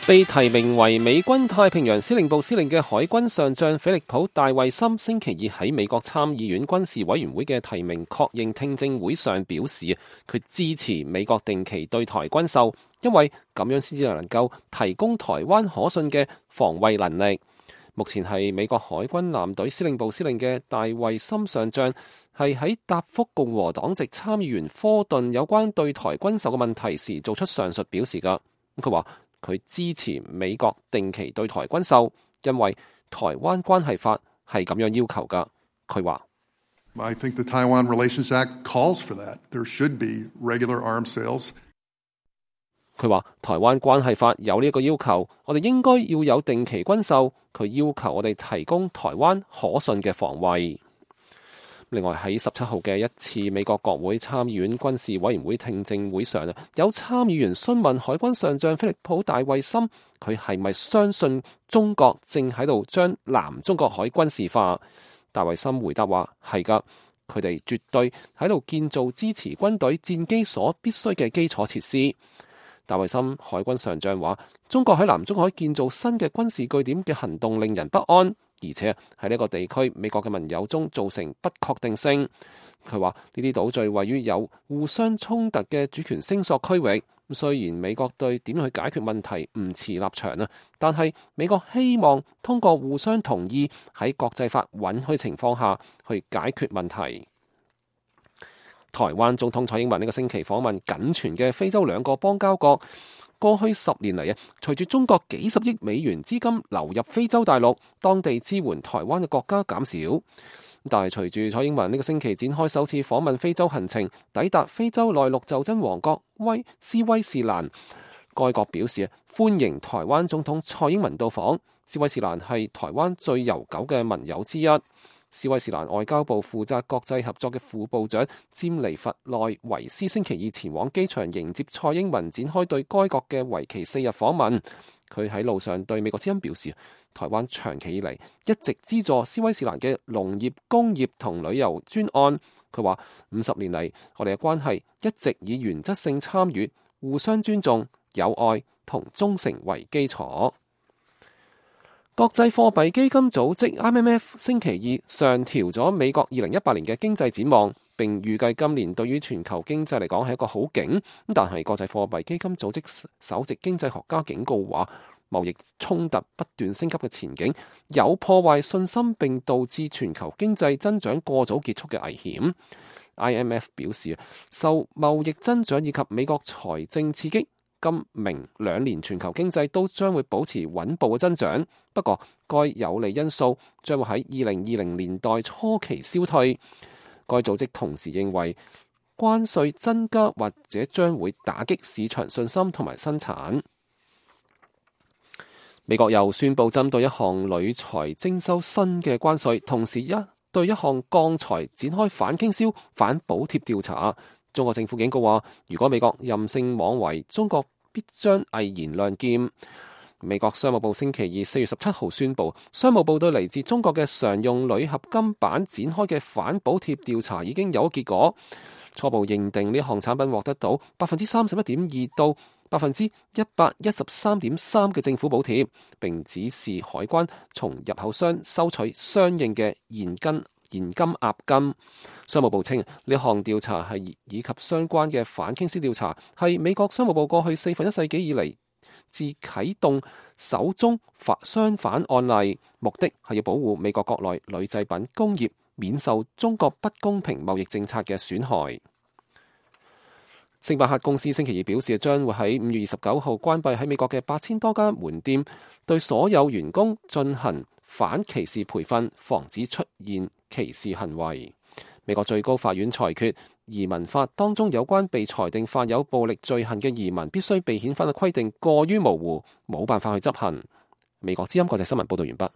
被提名為美軍太平洋司令部司令嘅海軍上將菲利普·戴維森星期二喺美國參議院軍事委員會嘅提名確認聽證會上表示，佢支持美國定期對台軍售，因為咁樣先至能夠提供台灣可信嘅防衛能力。目前係美國海軍艦隊司令部司令嘅戴維森上將係喺答覆共和黨籍參議員科頓有關對台軍售嘅問題時做出上述表示㗎。佢話佢支持美國定期對台軍售，因為台灣關係法係咁樣要求㗎。佢話I think the Taiwan Relations Act calls for that. There should be regular arms sales. 佢話台灣關係法有呢個要求，我哋應該要有定期軍售。佢要求我哋提供台灣可信嘅防衛。另外喺十七號嘅一次美國國會參議院軍事委員會聽證會上，有參議員詢問海軍上將菲利普·戴維森，佢係咪相信中國正喺度將南中國海軍事化？戴維森回答話係㗎，佢哋絕對喺度建造支持軍隊戰機所必須嘅基礎設施。戴維森海軍上將話，中國喺南中海建造新嘅軍事據點嘅行動令人不安，而且喺呢個地區美國嘅盟友中造成不確定性。佢話呢啲島嶼位於有互相衝突嘅主權聲索區域，雖然美國對點樣去解決問題唔持立場啊，但係美國希望通過互相同意喺國際法允許情況下去解決問題。台灣總統蔡英文呢個星期訪問僅存嘅非洲兩個邦交國。過去十年嚟啊，隨住中國幾十億美元資金流入非洲大陸，當地支援台灣嘅國家減少。但係隨住蔡英文呢個星期展開首次訪問非洲行程，抵達非洲內陸袖珍王國威斯威士蘭，該國表示歡迎台灣總統蔡英文到訪。斯威士蘭係台灣最悠久嘅盟友之一。斯威士蘭外交部負責國際合作嘅副部長詹尼弗內維斯星期二前往機場迎接蔡英文，展開對該國嘅為期四日訪問。佢喺路上對美國之音表示，台灣長期以嚟一直資助斯威士蘭嘅農業、工業同旅遊專案。佢話五十年嚟，我哋嘅關係一直以原則性參與、互相尊重、友愛同忠誠為基礎。國際貨幣基金組織 I M F 星期二上調咗美國二零一八年嘅經濟展望，並預計今年對於全球經濟嚟講係一個好景。但係國際貨幣基金組織首席經濟學家警告話，貿易衝突不斷升級嘅前景有破壞信心並導致全球經濟增長過早結束嘅危險。I M F 表示，受貿易增長以及美國財政刺激，今明兩年全球經濟都將會保持穩步嘅增長，不過該有利因素將會喺二零二零年代初期消退。該組織同時認為，關稅增加或者將會打擊市場信心同埋生產。美國又宣布針對一項鋁材徵收新嘅關稅，同時一對一項鋼材展開反傾銷、反補貼調查。中國政府警告話，如果美國任性妄為，中國必將毅然亮劍。美國商務部星期二四月十七號宣布，商務部對嚟自中國嘅常用鋁合金板展開嘅反補貼調查已經有結果，初步認定呢項產品獲得到百分之三十一點二到百分之一百一十三點三嘅政府補貼，並指示海關從入口商收取相應嘅現金。現金押金。商務部稱呢項調查係以及相關嘅反傾銷調查係美國商務部過去四分一世紀以嚟自啟動首宗反相反案例，目的係要保護美國國內鋁製品工業免受中國不公平貿易政策嘅損害。星巴克公司星期二表示，將會喺五月二十九號關閉喺美國嘅八千多家門店，對所有員工進行反歧視培訓，防止出現歧視行為。美國最高法院裁決，移民法當中有關被裁定犯有暴力罪行嘅移民必須被遣返嘅規定過於模糊，冇辦法去執行。美國之音國際新聞報道完畢。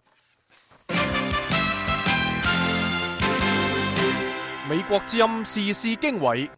美國之音時事經緯。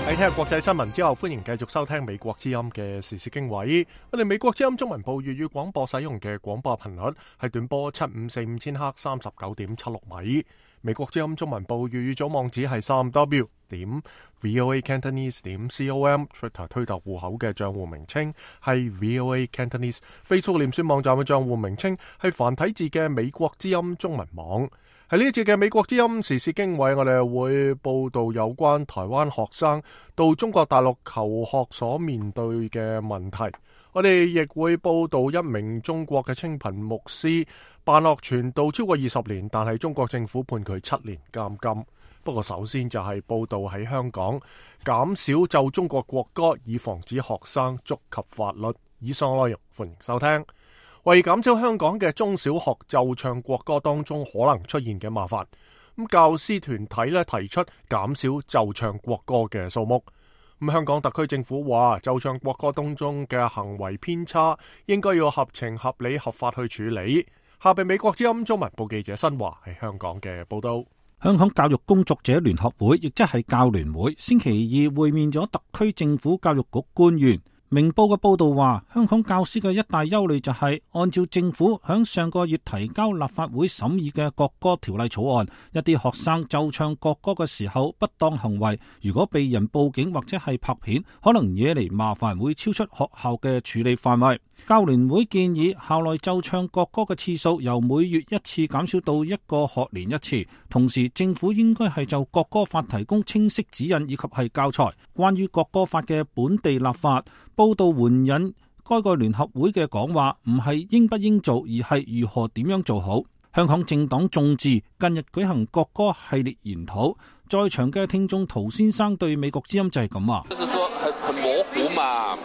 喺聽日國際新聞之後，歡迎繼續收聽美國之音嘅時事經緯。我哋美國之音中文部粵語廣播使用嘅廣播頻率係短波七五四五千赫三十九點七六米。美國之音中文部粵語組網址係三 w 點 voa cantonese 點 com，Twitter 推特戶口嘅賬戶名稱係 voa cantonese，Facebook 臉書網站嘅賬戶名稱係繁體字嘅美國之音中文網。喺呢一節嘅美國之音時事經緯，我哋會報道有關台灣學生到中國大陸求學所面對嘅問題。我哋亦會報道一名中國嘅清貧牧師辦學傳道超過二十年，但係中國政府判佢七年監禁。不過首先就係報道喺香港減少奏中國國歌，以防止學生觸及法律。以上內容歡迎收聽。為減少香港嘅中小學奏唱國歌當中可能出現嘅麻煩，咁教師團體咧提出減少奏唱國歌嘅數目。咁香港特區政府話，奏唱國歌當中嘅行為偏差，應該要合情合理合法去處理。下邊美國之音中文部記者新華喺香港嘅報道。香港教育工作者聯合會，亦即係教聯會，星期二會面咗特區政府教育局官員。明報嘅報道話，香港教師嘅一大憂慮就係，按照政府響上個月提交立法會審議嘅國歌條例草案，一啲學生奏唱國歌嘅時候不當行為，如果被人報警或者係拍片，可能惹嚟麻煩，會超出學校嘅處理範圍。教聯會建議校內奏唱國歌嘅次數由每月一次減少到一個學年一次，同時政府應該係就國歌法提供清晰指引以及係教材。關於國歌法嘅本地立法，報道援引該個聯合會嘅講話，唔係應不應做，而係如何點樣做好。香港政黨眾志近日舉行國歌系列研討，在場嘅聽眾陶先生對美國之音就係咁話。就是說很很模糊嘛。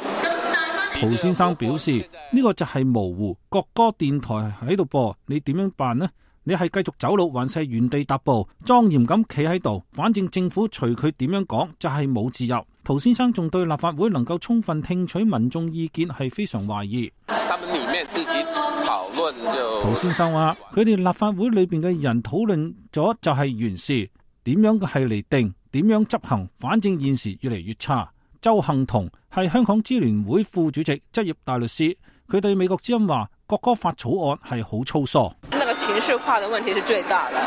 陶先生表示呢個就係模糊，國歌電台喺度播，你點樣辦呢？你係繼續走路，還是原地踏步，莊嚴咁企喺度？反正政府隨佢點樣講，就係冇自由。陶先生仲對立法會能夠充分聽取民眾意見係非常懷疑。他們裡面自己討論就。陶先生話：佢哋立法會裏邊嘅人討論咗就係原事，點樣嘅係嚟定，點樣執行，反正現時越嚟越差。周幸彤係香港支聯會副主席、執業大律師，佢對美國之音話：國歌法草案係好粗疏。那個形式化的問題是最大的。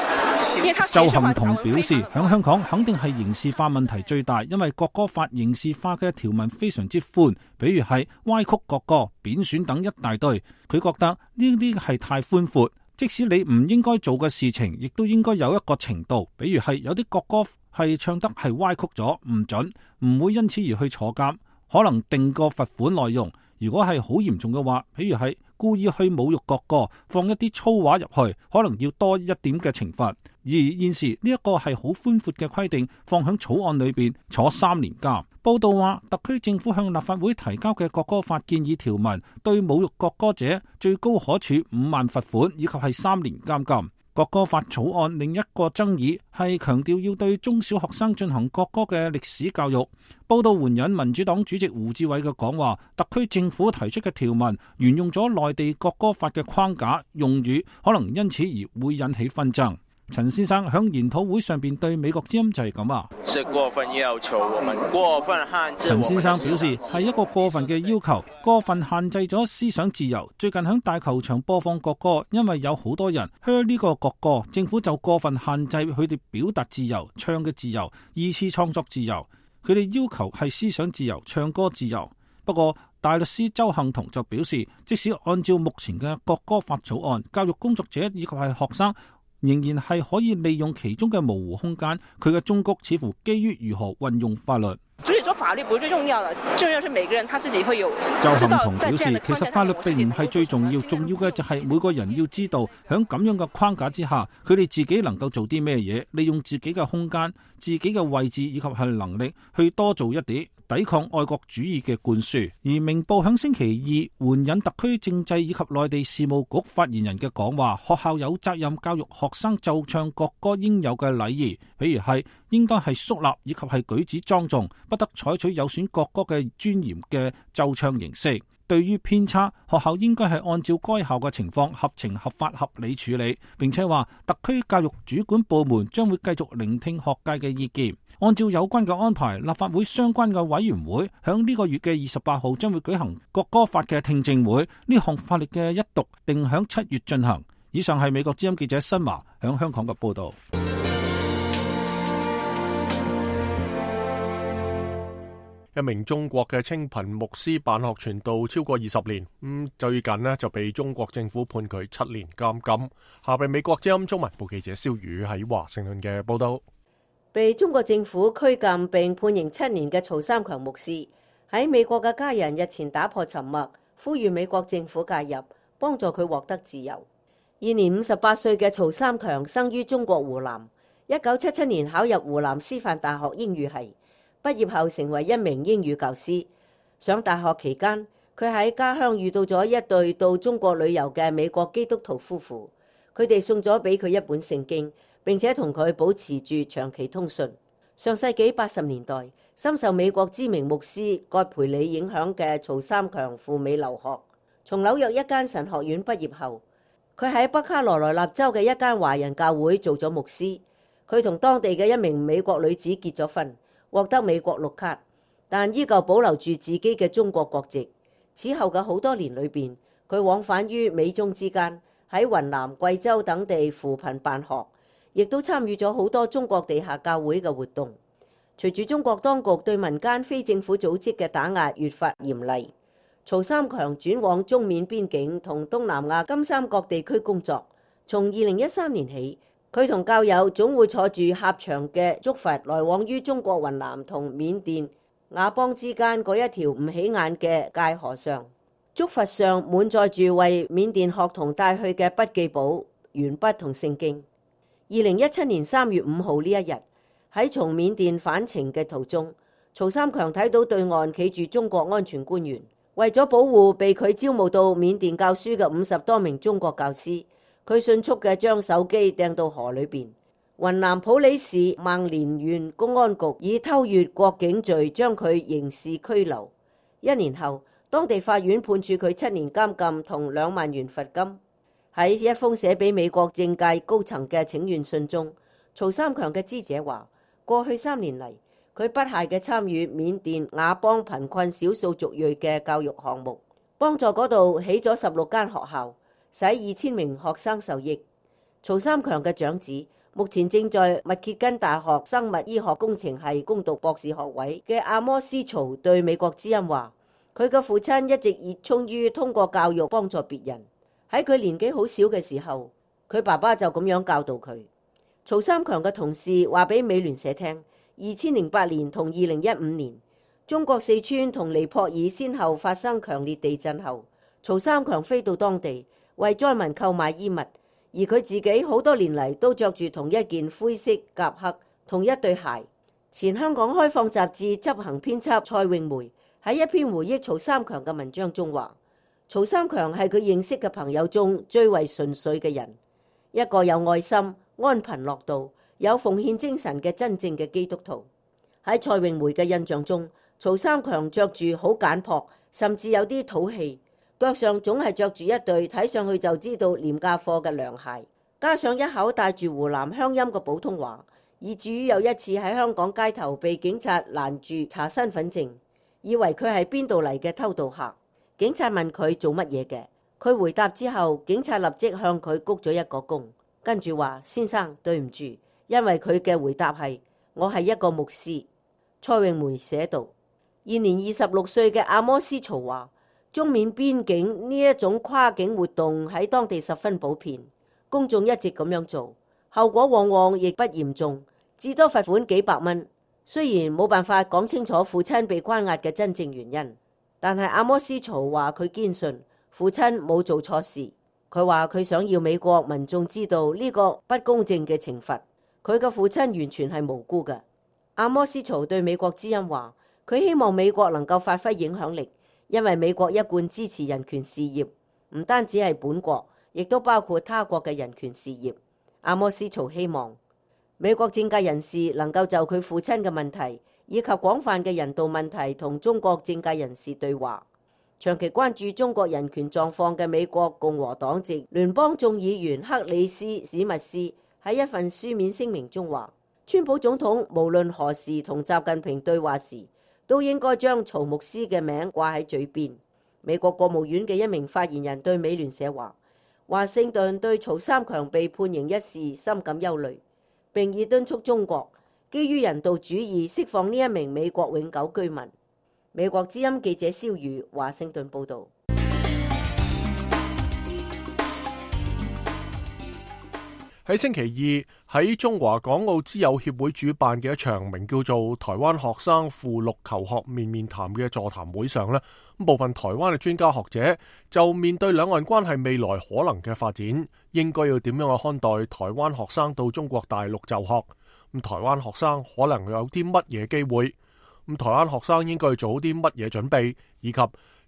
周幸彤表示，響香港肯定係刑事化問題最大，因為國歌法刑事化嘅條文非常之寬，比如係歪曲國歌、貶損等一大堆。佢覺得呢啲係太寬闊，即使你唔應該做嘅事情，亦都應該有一個程度，比如係有啲國歌係唱得係歪曲咗，唔準，唔會因此而去坐監，可能定個罰款內容。如果係好嚴重嘅話，譬如係故意去侮辱國歌，放一啲粗話入去，可能要多一點嘅懲罰。而現時呢一個係好寬闊嘅規定，放響草案裏邊坐三年監。報道話，特區政府向立法會提交嘅國歌法建議條文，對侮辱國歌者最高可處五萬罰款，以及係三年監禁。國歌法草案另一個爭議係強調要對中小學生進行國歌嘅歷史教育。報道援引民主黨主席胡志偉嘅講話，特區政府提出嘅條文沿用咗內地國歌法嘅框架用語，可能因此而會引起紛爭。陳先生響研討會上邊對美國之音就係咁話：是過分要求，我們過分限制。陳先生表示係一個過分嘅要求，過分限制咗思想自由。最近響大球場播放國歌，因為有好多人噓呢個國歌，政府就過分限制佢哋表達自由、唱嘅自由、二次創作自由。佢哋要求係思想自由、唱歌自由。不過大律師周幸彤就表示，即使按照目前嘅國歌法草案，教育工作者以及係學生仍然係可以利用其中嘅模糊空間，佢嘅忠告似乎基於如何運用法律。所以說法律不是最重要的，重要是每個人他自己會有周知道幸彤表示，其實法律並唔係最重要，重要嘅就係每個人要知道喺咁樣嘅框架之下，佢哋自己能夠做啲咩嘢，利用自己嘅空間、自己嘅位置以及係能力去多做一啲，抵抗愛國主義嘅灌輸。而明報響星期二援引特區政制以及內地事務局發言人嘅講話，學校有責任教育學生奏唱國歌應有嘅禮儀，比如係應該係肅立以及係舉止莊重，不得採取有損國歌嘅尊嚴嘅奏唱形式。對於偏差，學校應該係按照該校嘅情況合情合法合理處理，並且話特區教育主管部門將會繼續聆聽學界嘅意見，按照有關嘅安排，立法會相關嘅委員會響呢個月嘅二十八號將會舉行國歌法嘅聽證會，呢項法律嘅一讀定響七月進行。以上係美國之音記者新華響香港嘅報道。一名中國嘅清貧牧師辦學傳道超過二十年，咁最近呢就被中國政府判佢七年監禁。下邊美國之音中文部記者蕭宇喺華盛頓嘅報道。被中國政府拘禁並判刑七年嘅曹三強牧師，喺美國嘅家人日前打破沉默，呼籲美國政府介入，幫助佢獲得自由。現年五十八歲嘅曹三強生於中國湖南，一九七七年考入湖南師範大學英語系。畢業後成為一名英語教師。上大學期間，佢喺家鄉遇到咗一對到中國旅遊嘅美國基督徒夫婦，佢哋送咗俾佢一本聖經，並且同佢保持住長期通訊。上世紀八十年代，深受美國知名牧師葛培理影響嘅曹三強赴美留學，從紐約一間神學院畢業後，佢喺北卡羅來納州嘅一間華人教會做咗牧師。佢同當地嘅一名美國女子結咗婚，獲得美國綠卡，但依舊保留住自己嘅中國國籍。此後嘅好多年裏邊，佢往返於美中之間，喺雲南、貴州等地扶貧辦學，亦都參與咗好多中國地下教會嘅活動。隨住中國當局對民間非政府組織嘅打壓越發嚴厲，曹三強轉往中緬邊境同東南亞金三角地區工作。從二零一三年起，佢同教友總會坐住狹長嘅竹筏來往於中國雲南同緬甸佤邦之間嗰一條唔起眼嘅界河上。竹筏上滿載住為緬甸學童帶去嘅筆記簿、鉛筆同聖經。二零一七年三月五號呢一日，喺從緬甸返程嘅途中，曹三強睇到對岸企住中國安全官員，為咗保護被佢招募到緬甸教書嘅五十多名中國教師，佢迅速嘅將手機掟到河裏邊。雲南普洱市孟連縣公安局以偷越國境罪將佢刑事拘留。一年後，當地法院判處佢七年監禁同兩萬元罰金。喺一封寫俾美國政界高層嘅請願信中，曹三強嘅知者話：過去三年嚟，佢不懈嘅參與緬甸佤邦貧困少數族裔嘅教育項目，幫助嗰度起咗十六間學校，使二千名學生受益。曹三強嘅長子目前正在密歇根大學生物醫學工程系攻讀博士學位嘅阿摩斯曹對美國之音話：佢嘅父親一直熱衷於通過教育幫助別人。喺佢年紀好小嘅時候，佢爸爸就咁樣教導佢。曹三強嘅同事話俾美聯社聽，二千零八年同二零一五年，中國四川同尼泊爾先後發生強烈地震後，曹三強飛到當地為災民購買衣物，而佢自己好多年嚟都着住同一件灰色夾克同一對鞋。前香港開放雜誌執行編輯蔡詠梅喺一篇回憶曹三強嘅文章中話：曹三強係佢認識嘅朋友中最為純粹嘅人，一個有愛心、安貧樂道、有奉獻精神嘅真正嘅基督徒。喺蔡詠梅嘅印象中，曹三強着住好簡樸，甚至有啲土氣，腳上總係着住一對睇上去就知道廉價貨嘅涼鞋，加上一口帶住湖南鄉音嘅普通話，以至於有一次喺香港街頭被警察攔住查身份證，以為佢係邊度嚟嘅偷渡客。警察問佢做乜嘢嘅，佢回答之後，警察立即向佢鞠咗一個躬，跟住話：先生，對唔住，因為佢嘅回答係：我係一個牧師。蔡詠梅寫道：現年二十六歲嘅阿摩斯曹話，中緬邊境呢一種跨境活動喺當地十分普遍，公眾一直咁樣做，後果往往亦不嚴重，至多罰款幾百蚊。雖然冇辦法講清楚父親被關押嘅真正原因，但係阿摩斯曹話佢堅信父親冇做錯事。佢話佢想要美國民眾知道呢個不公正嘅懲罰，佢嘅父親完全係無辜嘅。阿摩斯曹對美國之音話，佢希望美國能夠發揮影響力，因為美國一貫支持人權事業，唔單止係本國，亦都包括他國嘅人權事業。阿摩斯曹希望美國政界人士能夠就佢父親嘅問題以及廣泛嘅人道問題同中國政界人士對話。長期關注中國人權狀況嘅美國共和黨籍聯邦眾議員克里斯史密斯喺一份書面聲明中話，川普總統無論何時同習近平對話時，都應該將曹牧師嘅名掛喺嘴邊。美國國務院嘅一名發言人對美聯社話，華盛頓對曹三強被判刑一事深感憂慮，並已敦促中國基於人道主義釋放呢一名美國永久居民。美國之音記者蕭瑜華盛頓報道。喺星期二喺中華港澳之友協會主辦嘅一場名叫做台灣學生赴陸求學面面談嘅座談會上呢，部分台灣嘅專家學者就面對兩岸關係未來可能嘅發展，應該要點樣去看待台灣學生到中國大陸就學？咁台灣學生可能有啲乜嘢機會？咁台灣學生應該做好啲乜嘢準備，以及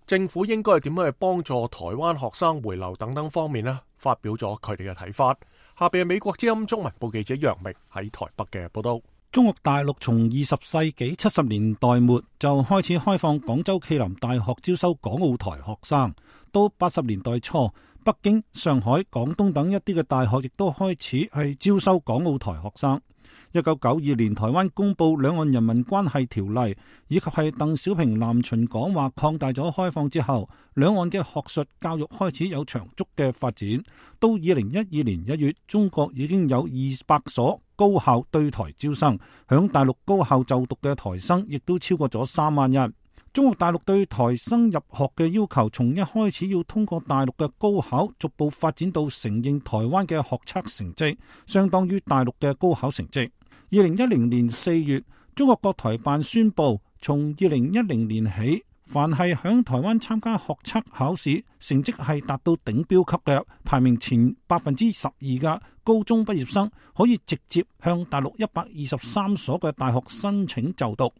政府應該點樣去幫助台灣學生回流等等方面呢，發表咗佢哋嘅睇法。下邊係美國之音中文部記者楊明喺台北嘅報道。中國大陸從二十世紀七十年代末就開始開放廣州暨南大學招收港澳台學生，到八十年代初，北京、上海、廣東等一啲嘅大學亦都開始係招收港澳台學生。一九九二年台灣公布兩岸人民關係條例，以及係鄧小平南巡講話擴大咗開放之後，兩岸嘅學術教育開始有長足嘅發展。到二零一二年一月，中國已經有二百所高校對台招生，響大陸高校就讀嘅台生亦都超過咗三萬人。中國大陸對台生入學嘅要求，從一開始要通過大陸嘅高考，逐步發展到承認台灣嘅學測成績相當於大陸嘅高考成績。二零一零年四月，中國國台辦宣布，從二零一零年起，凡係響台灣參加學測考試，成績係達到頂標級嘅，排名前百分之十二嘅高中畢業生，可以直接向大陸一百二十三所嘅大學申請就讀，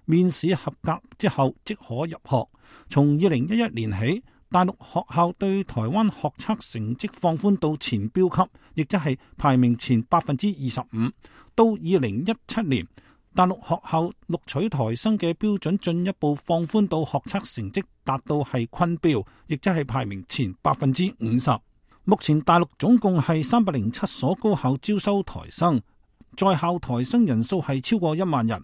面試合格之後即可入學。從二零一一年起，大陸學校對台灣學測成績放寬到前標級，亦即係排名前百分之二十五。到二零一七年，大陸學校錄取台生嘅標準進一步放寬到學測成績達到係昆標，亦即係排名前百分之五十。目前大陸總共係三百零七所高校招收台生，在校台生人數係超過一萬人。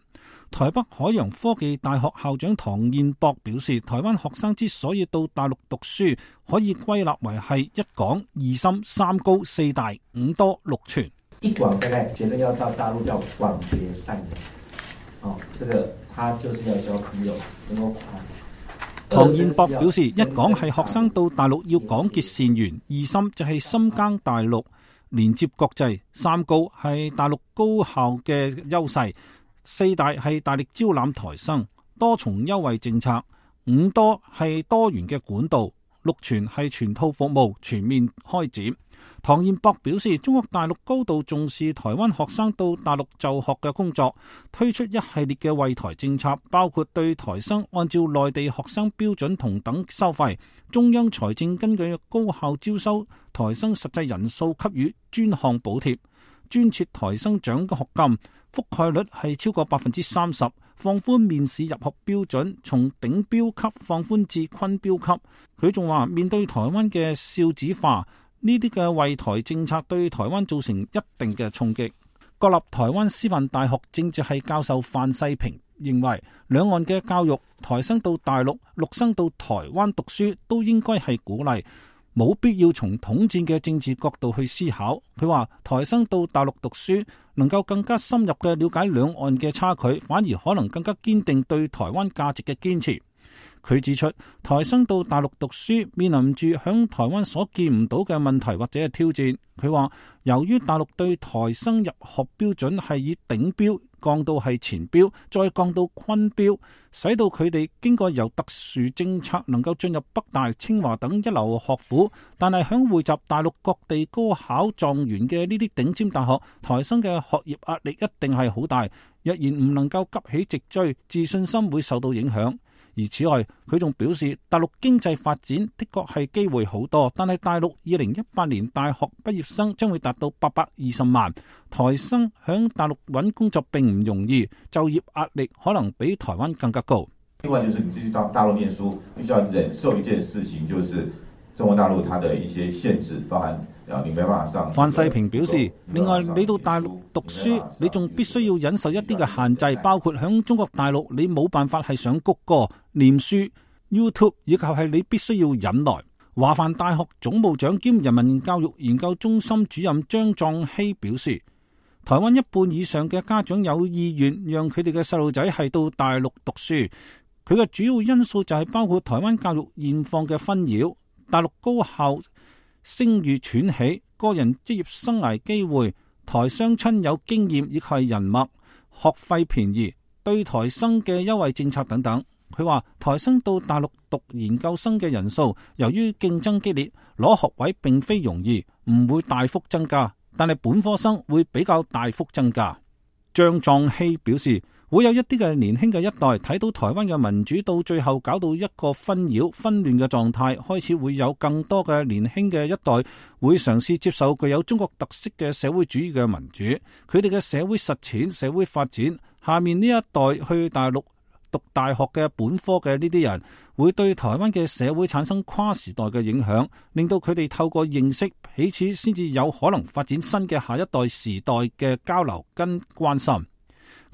台北海洋科技大學校長唐燕博表示，台灣學生之所以到大陸讀書，可以歸納為係一廣二深三高四大五多六全。一廣大概覺得要到大陸叫廣結善緣，哦，這個他就是要交朋友，能夠唐燕博表示，一廣係學生到大陸要廣結善緣，二深就係深耕大陸，連接國際，三高係大陸高校嘅優勢，四大係大力招攬台生，多重優惠政策，五多係多元嘅管道，六全係全套服務全面開展。唐燕博表示，中國大陸高度重視台灣學生到大陸就學嘅工作，推出一系列嘅惠台政策，包括對台生按照內地學生標準同等收費，中央財政根據高校招收台生實際人數給予專項補貼，專設台生獎學金，覆蓋率係超過百分之三十，放寬面試入學標準，從頂標級放寬至昆標級。佢仲話，面對台灣嘅少子化，呢啲嘅惠台政策對台灣造成一定嘅衝擊。國立台灣師範大學政治系教授范世平認為，兩岸嘅教育，台生到大陸，陸生到台灣讀書都應該係鼓勵，冇必要從統戰嘅政治角度去思考。佢話，台生到大陸讀書能夠更加深入嘅了解兩岸嘅差距，反而可能更加堅定對台灣價值嘅堅持。佢指出，台生到大陸讀書面臨住響台灣所見唔到嘅問題或者係挑戰。佢話，由於大陸對台生入學標準係以頂標降到係前標，再降到昆標，使到佢哋經過由特殊政策能夠進入北大、清華等一流學府，但係響匯集大陸各地高考狀元嘅呢啲頂尖大學，台生嘅學業壓力一定係好大。若然唔能夠急起直追，自信心會受到影響。而此外，佢仲表示，大陸經濟發展的確係機會好多，但係大陸二零一八年大學畢業生將會達到八百二十萬，台生響大陸揾工作並唔容易，就業壓力可能比台灣更加高。另外就是你去到大陸念書，必須要忍受一件事情，就是中國大陸它的一些限制，包含啊你沒辦法上。范世平表示，另外你到大陸讀書，你仲必須要忍受一啲嘅限制，包括響中國大陸你冇辦法係上谷歌、念書、YouTube， 以及係你必須要忍耐。華梵大學總務長兼人民教育研究中心主任張壯熙表示，台灣一半以上嘅家長有意願讓佢哋嘅細路仔係到大陸讀書，佢嘅主要因素就係包括台灣教育現況嘅紛擾、大陸高校聲譽喘起、個人職業生涯機會、台雙親有經驗亦係人脈、學費便宜、對台生嘅優惠政策等等。佢話台生到大陸讀研究生嘅人數，由於競爭激烈，攞學位並非容易，唔會大幅增加，但係本科生會比較大幅增加。張壯熙表示，會有一啲嘅年輕嘅一代睇到台灣嘅民主到最後搞到一個紛擾紛亂嘅狀態，開始會有更多嘅年輕嘅一代會嘗試接受具有中國特色嘅社會主義嘅民主，佢哋嘅社會實踐、社會發展。下面呢一代去大陸讀大學嘅本科嘅呢啲人，會對台灣嘅社會產生跨時代嘅影響，令到佢哋透過認識彼此，先至有可能發展新嘅下一代時代嘅交流跟關心。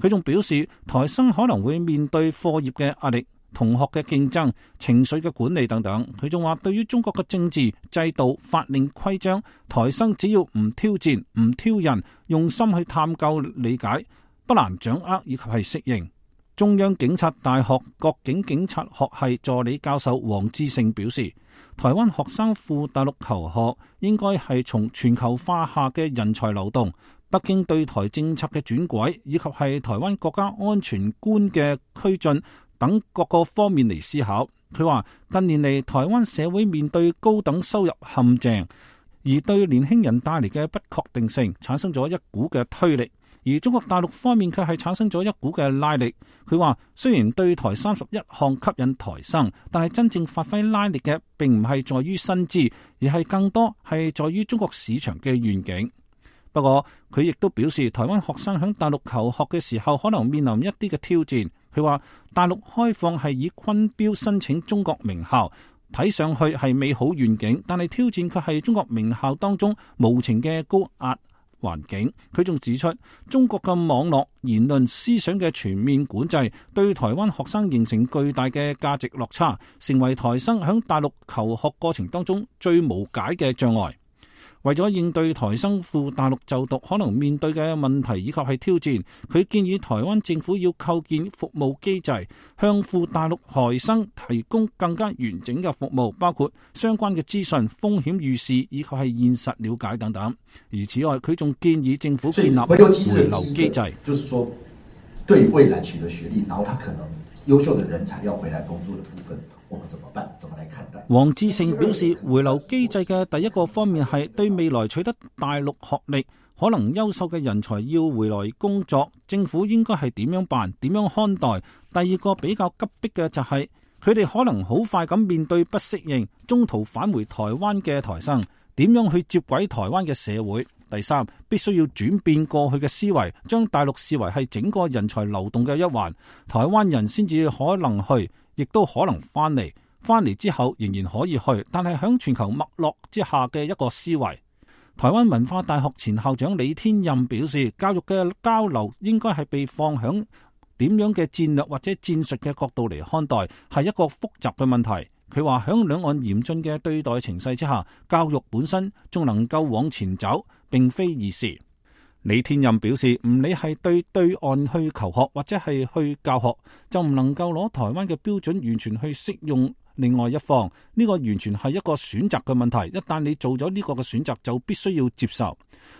佢仲表示，台生可能會面對課業嘅壓力、同學嘅競爭、情緒嘅管理等等。佢仲話，對於中國嘅政治制度、法令規章，台生只要唔挑戰、唔挑釁，用心去探究理解，不難掌握以及係適應。中央警察大學國境警察學系助理教授黃志勝表示，台灣學生赴大陸求學應該係從全球化下嘅人才流動、北京對台政策嘅轉軌，以及係台灣國家安全觀嘅推進等各個方面嚟思考。佢話近年嚟台灣社會面對高等收入陷阱，而對年輕人帶嚟嘅不確定性產生咗一股嘅推力，而中國大陸方面卻係產生咗一股嘅拉力。佢話雖然對台三十一項吸引台生，但係真正發揮拉力嘅並唔係在於薪資，而係更多係在於中國市場嘅願景。不過佢亦都表示，台灣學生喺大陸求學嘅時候可能面臨一啲嘅挑戰。佢話大陸開放係以昆標申請中國名校，睇上去係美好願景，但係挑戰卻係中國名校當中無情嘅高壓環境。佢仲指出，中國嘅網絡言論思想嘅全面管制，對台灣學生形成巨大嘅價值落差，成為台生喺大陸求學過程當中最無解嘅障礙。為咗應對台生赴大陸就讀可能面對嘅問題以及係挑戰，佢建議台灣政府要構建服務機制，向赴大陸台生提供更加完整嘅服務，包括相關嘅資訊、風險預示以及係現實了解等等。而此外，佢仲建議政府建立回流機制，就是說對未來取得學歷，然後他可能優秀的人才要回來工作的部分，我們怎麼辦？怎麼來看待？黃志勝表示，回流機制嘅第一個方面係對未來取得大陸學歷可能優秀嘅人才要回來工作，政府應該係點樣辦、點樣看待？第二個比較急迫嘅就係佢哋可能好快咁面對不適應，中途返回台灣嘅台生，點樣去接軌台灣嘅社會？第三，必須要轉變過去嘅思維，將大陸視為係整個人才流動嘅一環，台灣人先至可能去，亦都可能翻嚟，翻嚟之後仍然可以去，但係響全球脈絡之下嘅一個思維。台灣文化大學前校長李天任表示，教育嘅交流應該係被放響點樣嘅戰略或者戰術嘅角度嚟看待，係一個複雜嘅問題。佢話響兩岸嚴峻嘅對待情勢之下，教育本身仲能夠往前走，並非易事。李天任表示，唔理係對對岸去求學或者係去教學，就唔能夠攞台灣嘅標準完全去適用另外一方，呢個完全係一個選擇嘅問題。一旦你做咗呢個嘅選擇，就必須要接受。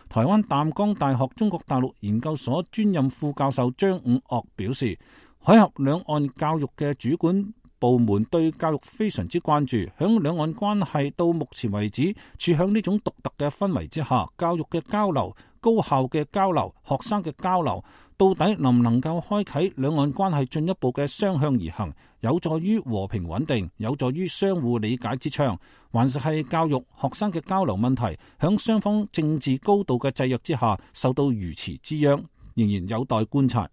台灣淡江大學中國大陸研究所專任副教授張五岳表示，海峽兩岸教育嘅主管部門對教育非常之關注。響兩岸關係到目前為止處響呢種獨特嘅氛圍之下，教育嘅交流、高校嘅交流、學生嘅交流，到底能唔能夠開啟兩岸關係進一步嘅雙向而行，有助於和平穩定，有助於相互理解之暢，還是係教育學生嘅交流問題響雙方政治高度嘅制約之下受到如此之殃，仍然有待觀察。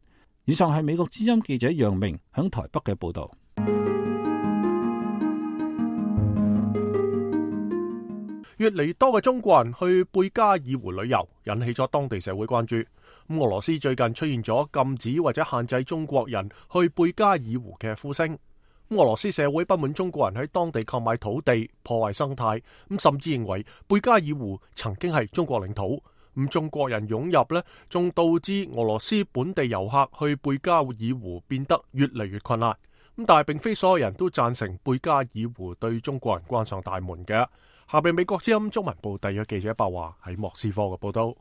以上係美國之音記者楊明響台北嘅報道。越嚟多嘅中國人去貝加爾湖旅遊，引起咗當地社會關注。咁俄羅斯最近出現咗禁止或者限制中國人去貝加爾湖嘅呼聲。俄羅斯社會不滿中國人喺當地購買土地，破壞生態，咁甚至認為貝加爾湖曾經係中國領土。咁中國人湧入呢，仲導致俄羅斯本地遊客去貝加爾湖變得越嚟越困難。咁但係並非所有人都贊成貝加爾湖對中國人關上大門嘅。下邊美國之音中文部特約記者白華喺莫斯科嘅報道。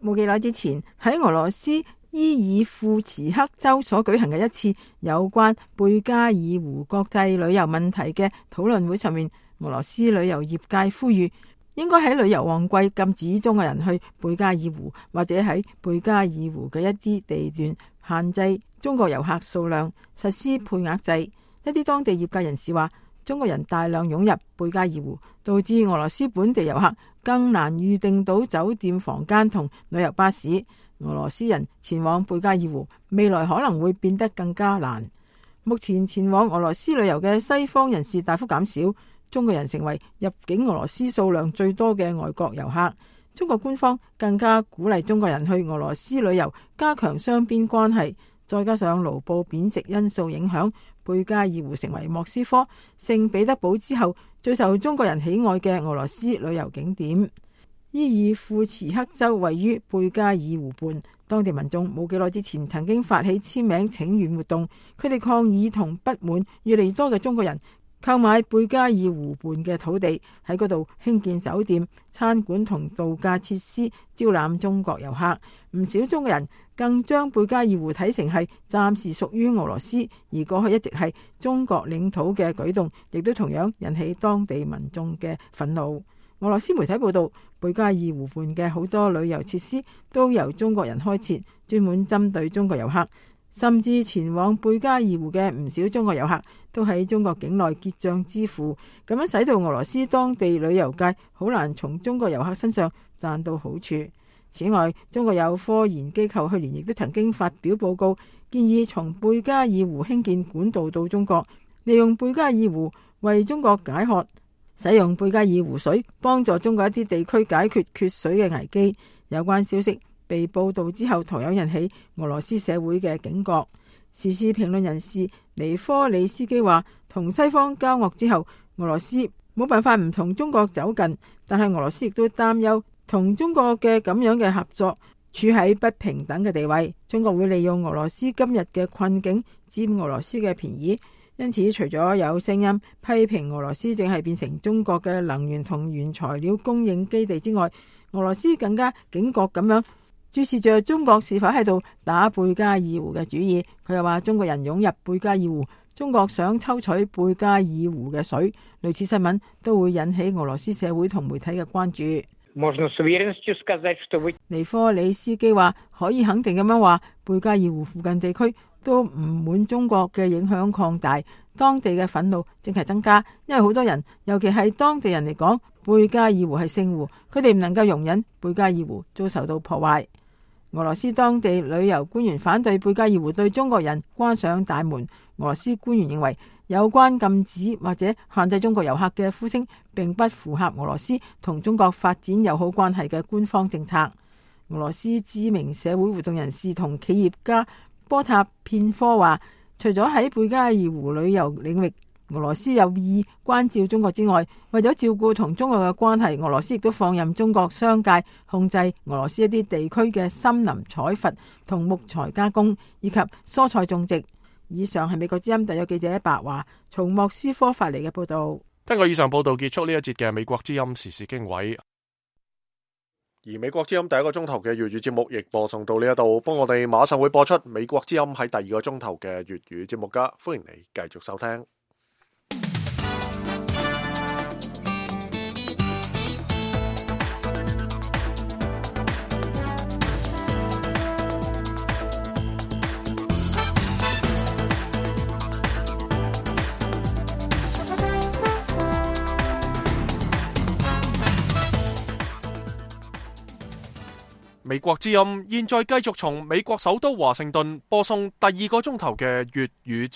冇幾耐之前喺俄羅斯伊爾庫茨克州所舉行嘅一次有關貝加爾湖國際旅遊問題嘅討論會上面，俄羅斯旅遊業界呼籲應該喺旅遊旺季禁止中國人去貝加爾湖，或者喺貝加爾湖嘅一啲地段限制中國遊客數量，實施配額制。一啲當地業界人士話，中國人大量湧入貝加爾湖，導致俄羅斯本地遊客更難預訂到酒店房間同旅遊巴士。俄羅斯人前往貝加爾湖，未來可能會變得更加難。目前前往俄羅斯旅遊嘅西方人士大幅減少，中國人成為入境俄羅斯數量最多嘅外國遊客。中國官方更加鼓勵中國人去俄羅斯旅遊，加強雙邊關係。再加上盧布貶值因素影響，貝加爾湖成為莫斯科、聖彼得堡之後最受中國人喜愛嘅俄羅斯旅遊景點。伊爾庫茨克州位於貝加爾湖畔，當地民眾冇幾耐之前曾經發起簽名請願活動，佢哋抗議同不滿越嚟越多嘅中國人購買貝加爾湖畔嘅土地，喺嗰度興建酒店、餐館同度假設施，招攬中國遊客。唔少中國人更將貝加爾湖睇成係暫時屬於俄羅斯，而過去一直係中國領土嘅舉動，亦都同樣引起當地民眾嘅憤怒。俄羅斯媒體報道，貝加爾湖畔嘅好多旅遊設施都由中國人開設，專門針對中國遊客。甚至前往貝加爾湖嘅唔少中國遊客都喺中國境內結賬支付，咁樣使到俄羅斯當地旅遊界好難從中國遊客身上賺到好處。此外，中國有科研機構去年亦都曾經發表報告，建議從貝加爾湖興建管道到中國，利用貝加爾湖為中國解渴，使用貝加爾湖水幫助中國一啲地區解決缺水嘅危機。有關消息被報道之後，同樣引起俄羅斯社會嘅警覺。時事評論人士尼科里斯基話，同西方交惡之後，俄羅斯冇辦法唔同中國走近，但係俄羅斯亦都擔憂同中國嘅咁樣嘅合作處喺不平等嘅地位。中國會利用俄羅斯今日嘅困境佔俄羅斯嘅便宜，因此除咗有聲音批評俄羅斯正係變成中國嘅能源同原材料供應基地之外，俄羅斯更加警覺咁樣注視着中國是否喺度打貝加爾湖嘅主意。佢又話，中國人湧入貝加爾湖，中國想抽取貝加爾湖嘅水，類似新聞都會引起俄羅斯社會同媒體嘅關注。尼科里斯基話，可以肯定咁樣話，貝加爾湖附近地區都唔滿中國嘅影響擴大，當地嘅憤怒正係增加，因為好多人，尤其係當地人嚟講，貝加爾湖係聖湖，佢哋唔能夠容忍貝加爾湖遭受到破壞。俄羅斯當地旅遊官員反對貝加爾湖對中國人關上大門。俄羅斯官員認為，有關禁止或者限制中國遊客嘅呼聲並不符合俄羅斯同中國發展友好關係嘅官方政策。俄羅斯知名社會活動人士同企業家波塔片科話，除咗喺貝加爾湖旅遊領域俄羅斯有意關照中國之外，為咗照顧同中國嘅關係，俄羅斯亦都放任中國商界控制俄羅斯一啲地區嘅森林採伐同木材加工以及蔬菜種植。以上係美國之音特約記者白華從莫斯科發嚟嘅報道。聽過以上報道，結束呢一節嘅美國之音時事經緯。而美國之音第一個鐘頭嘅粵語節目亦播送到呢一度，幫我哋馬上會播出美國之音喺第二個鐘頭嘅粵語節目噶，歡迎你繼續收聽。美國之音現在繼續從美國首都華盛頓播送第二個鐘頭嘅粵語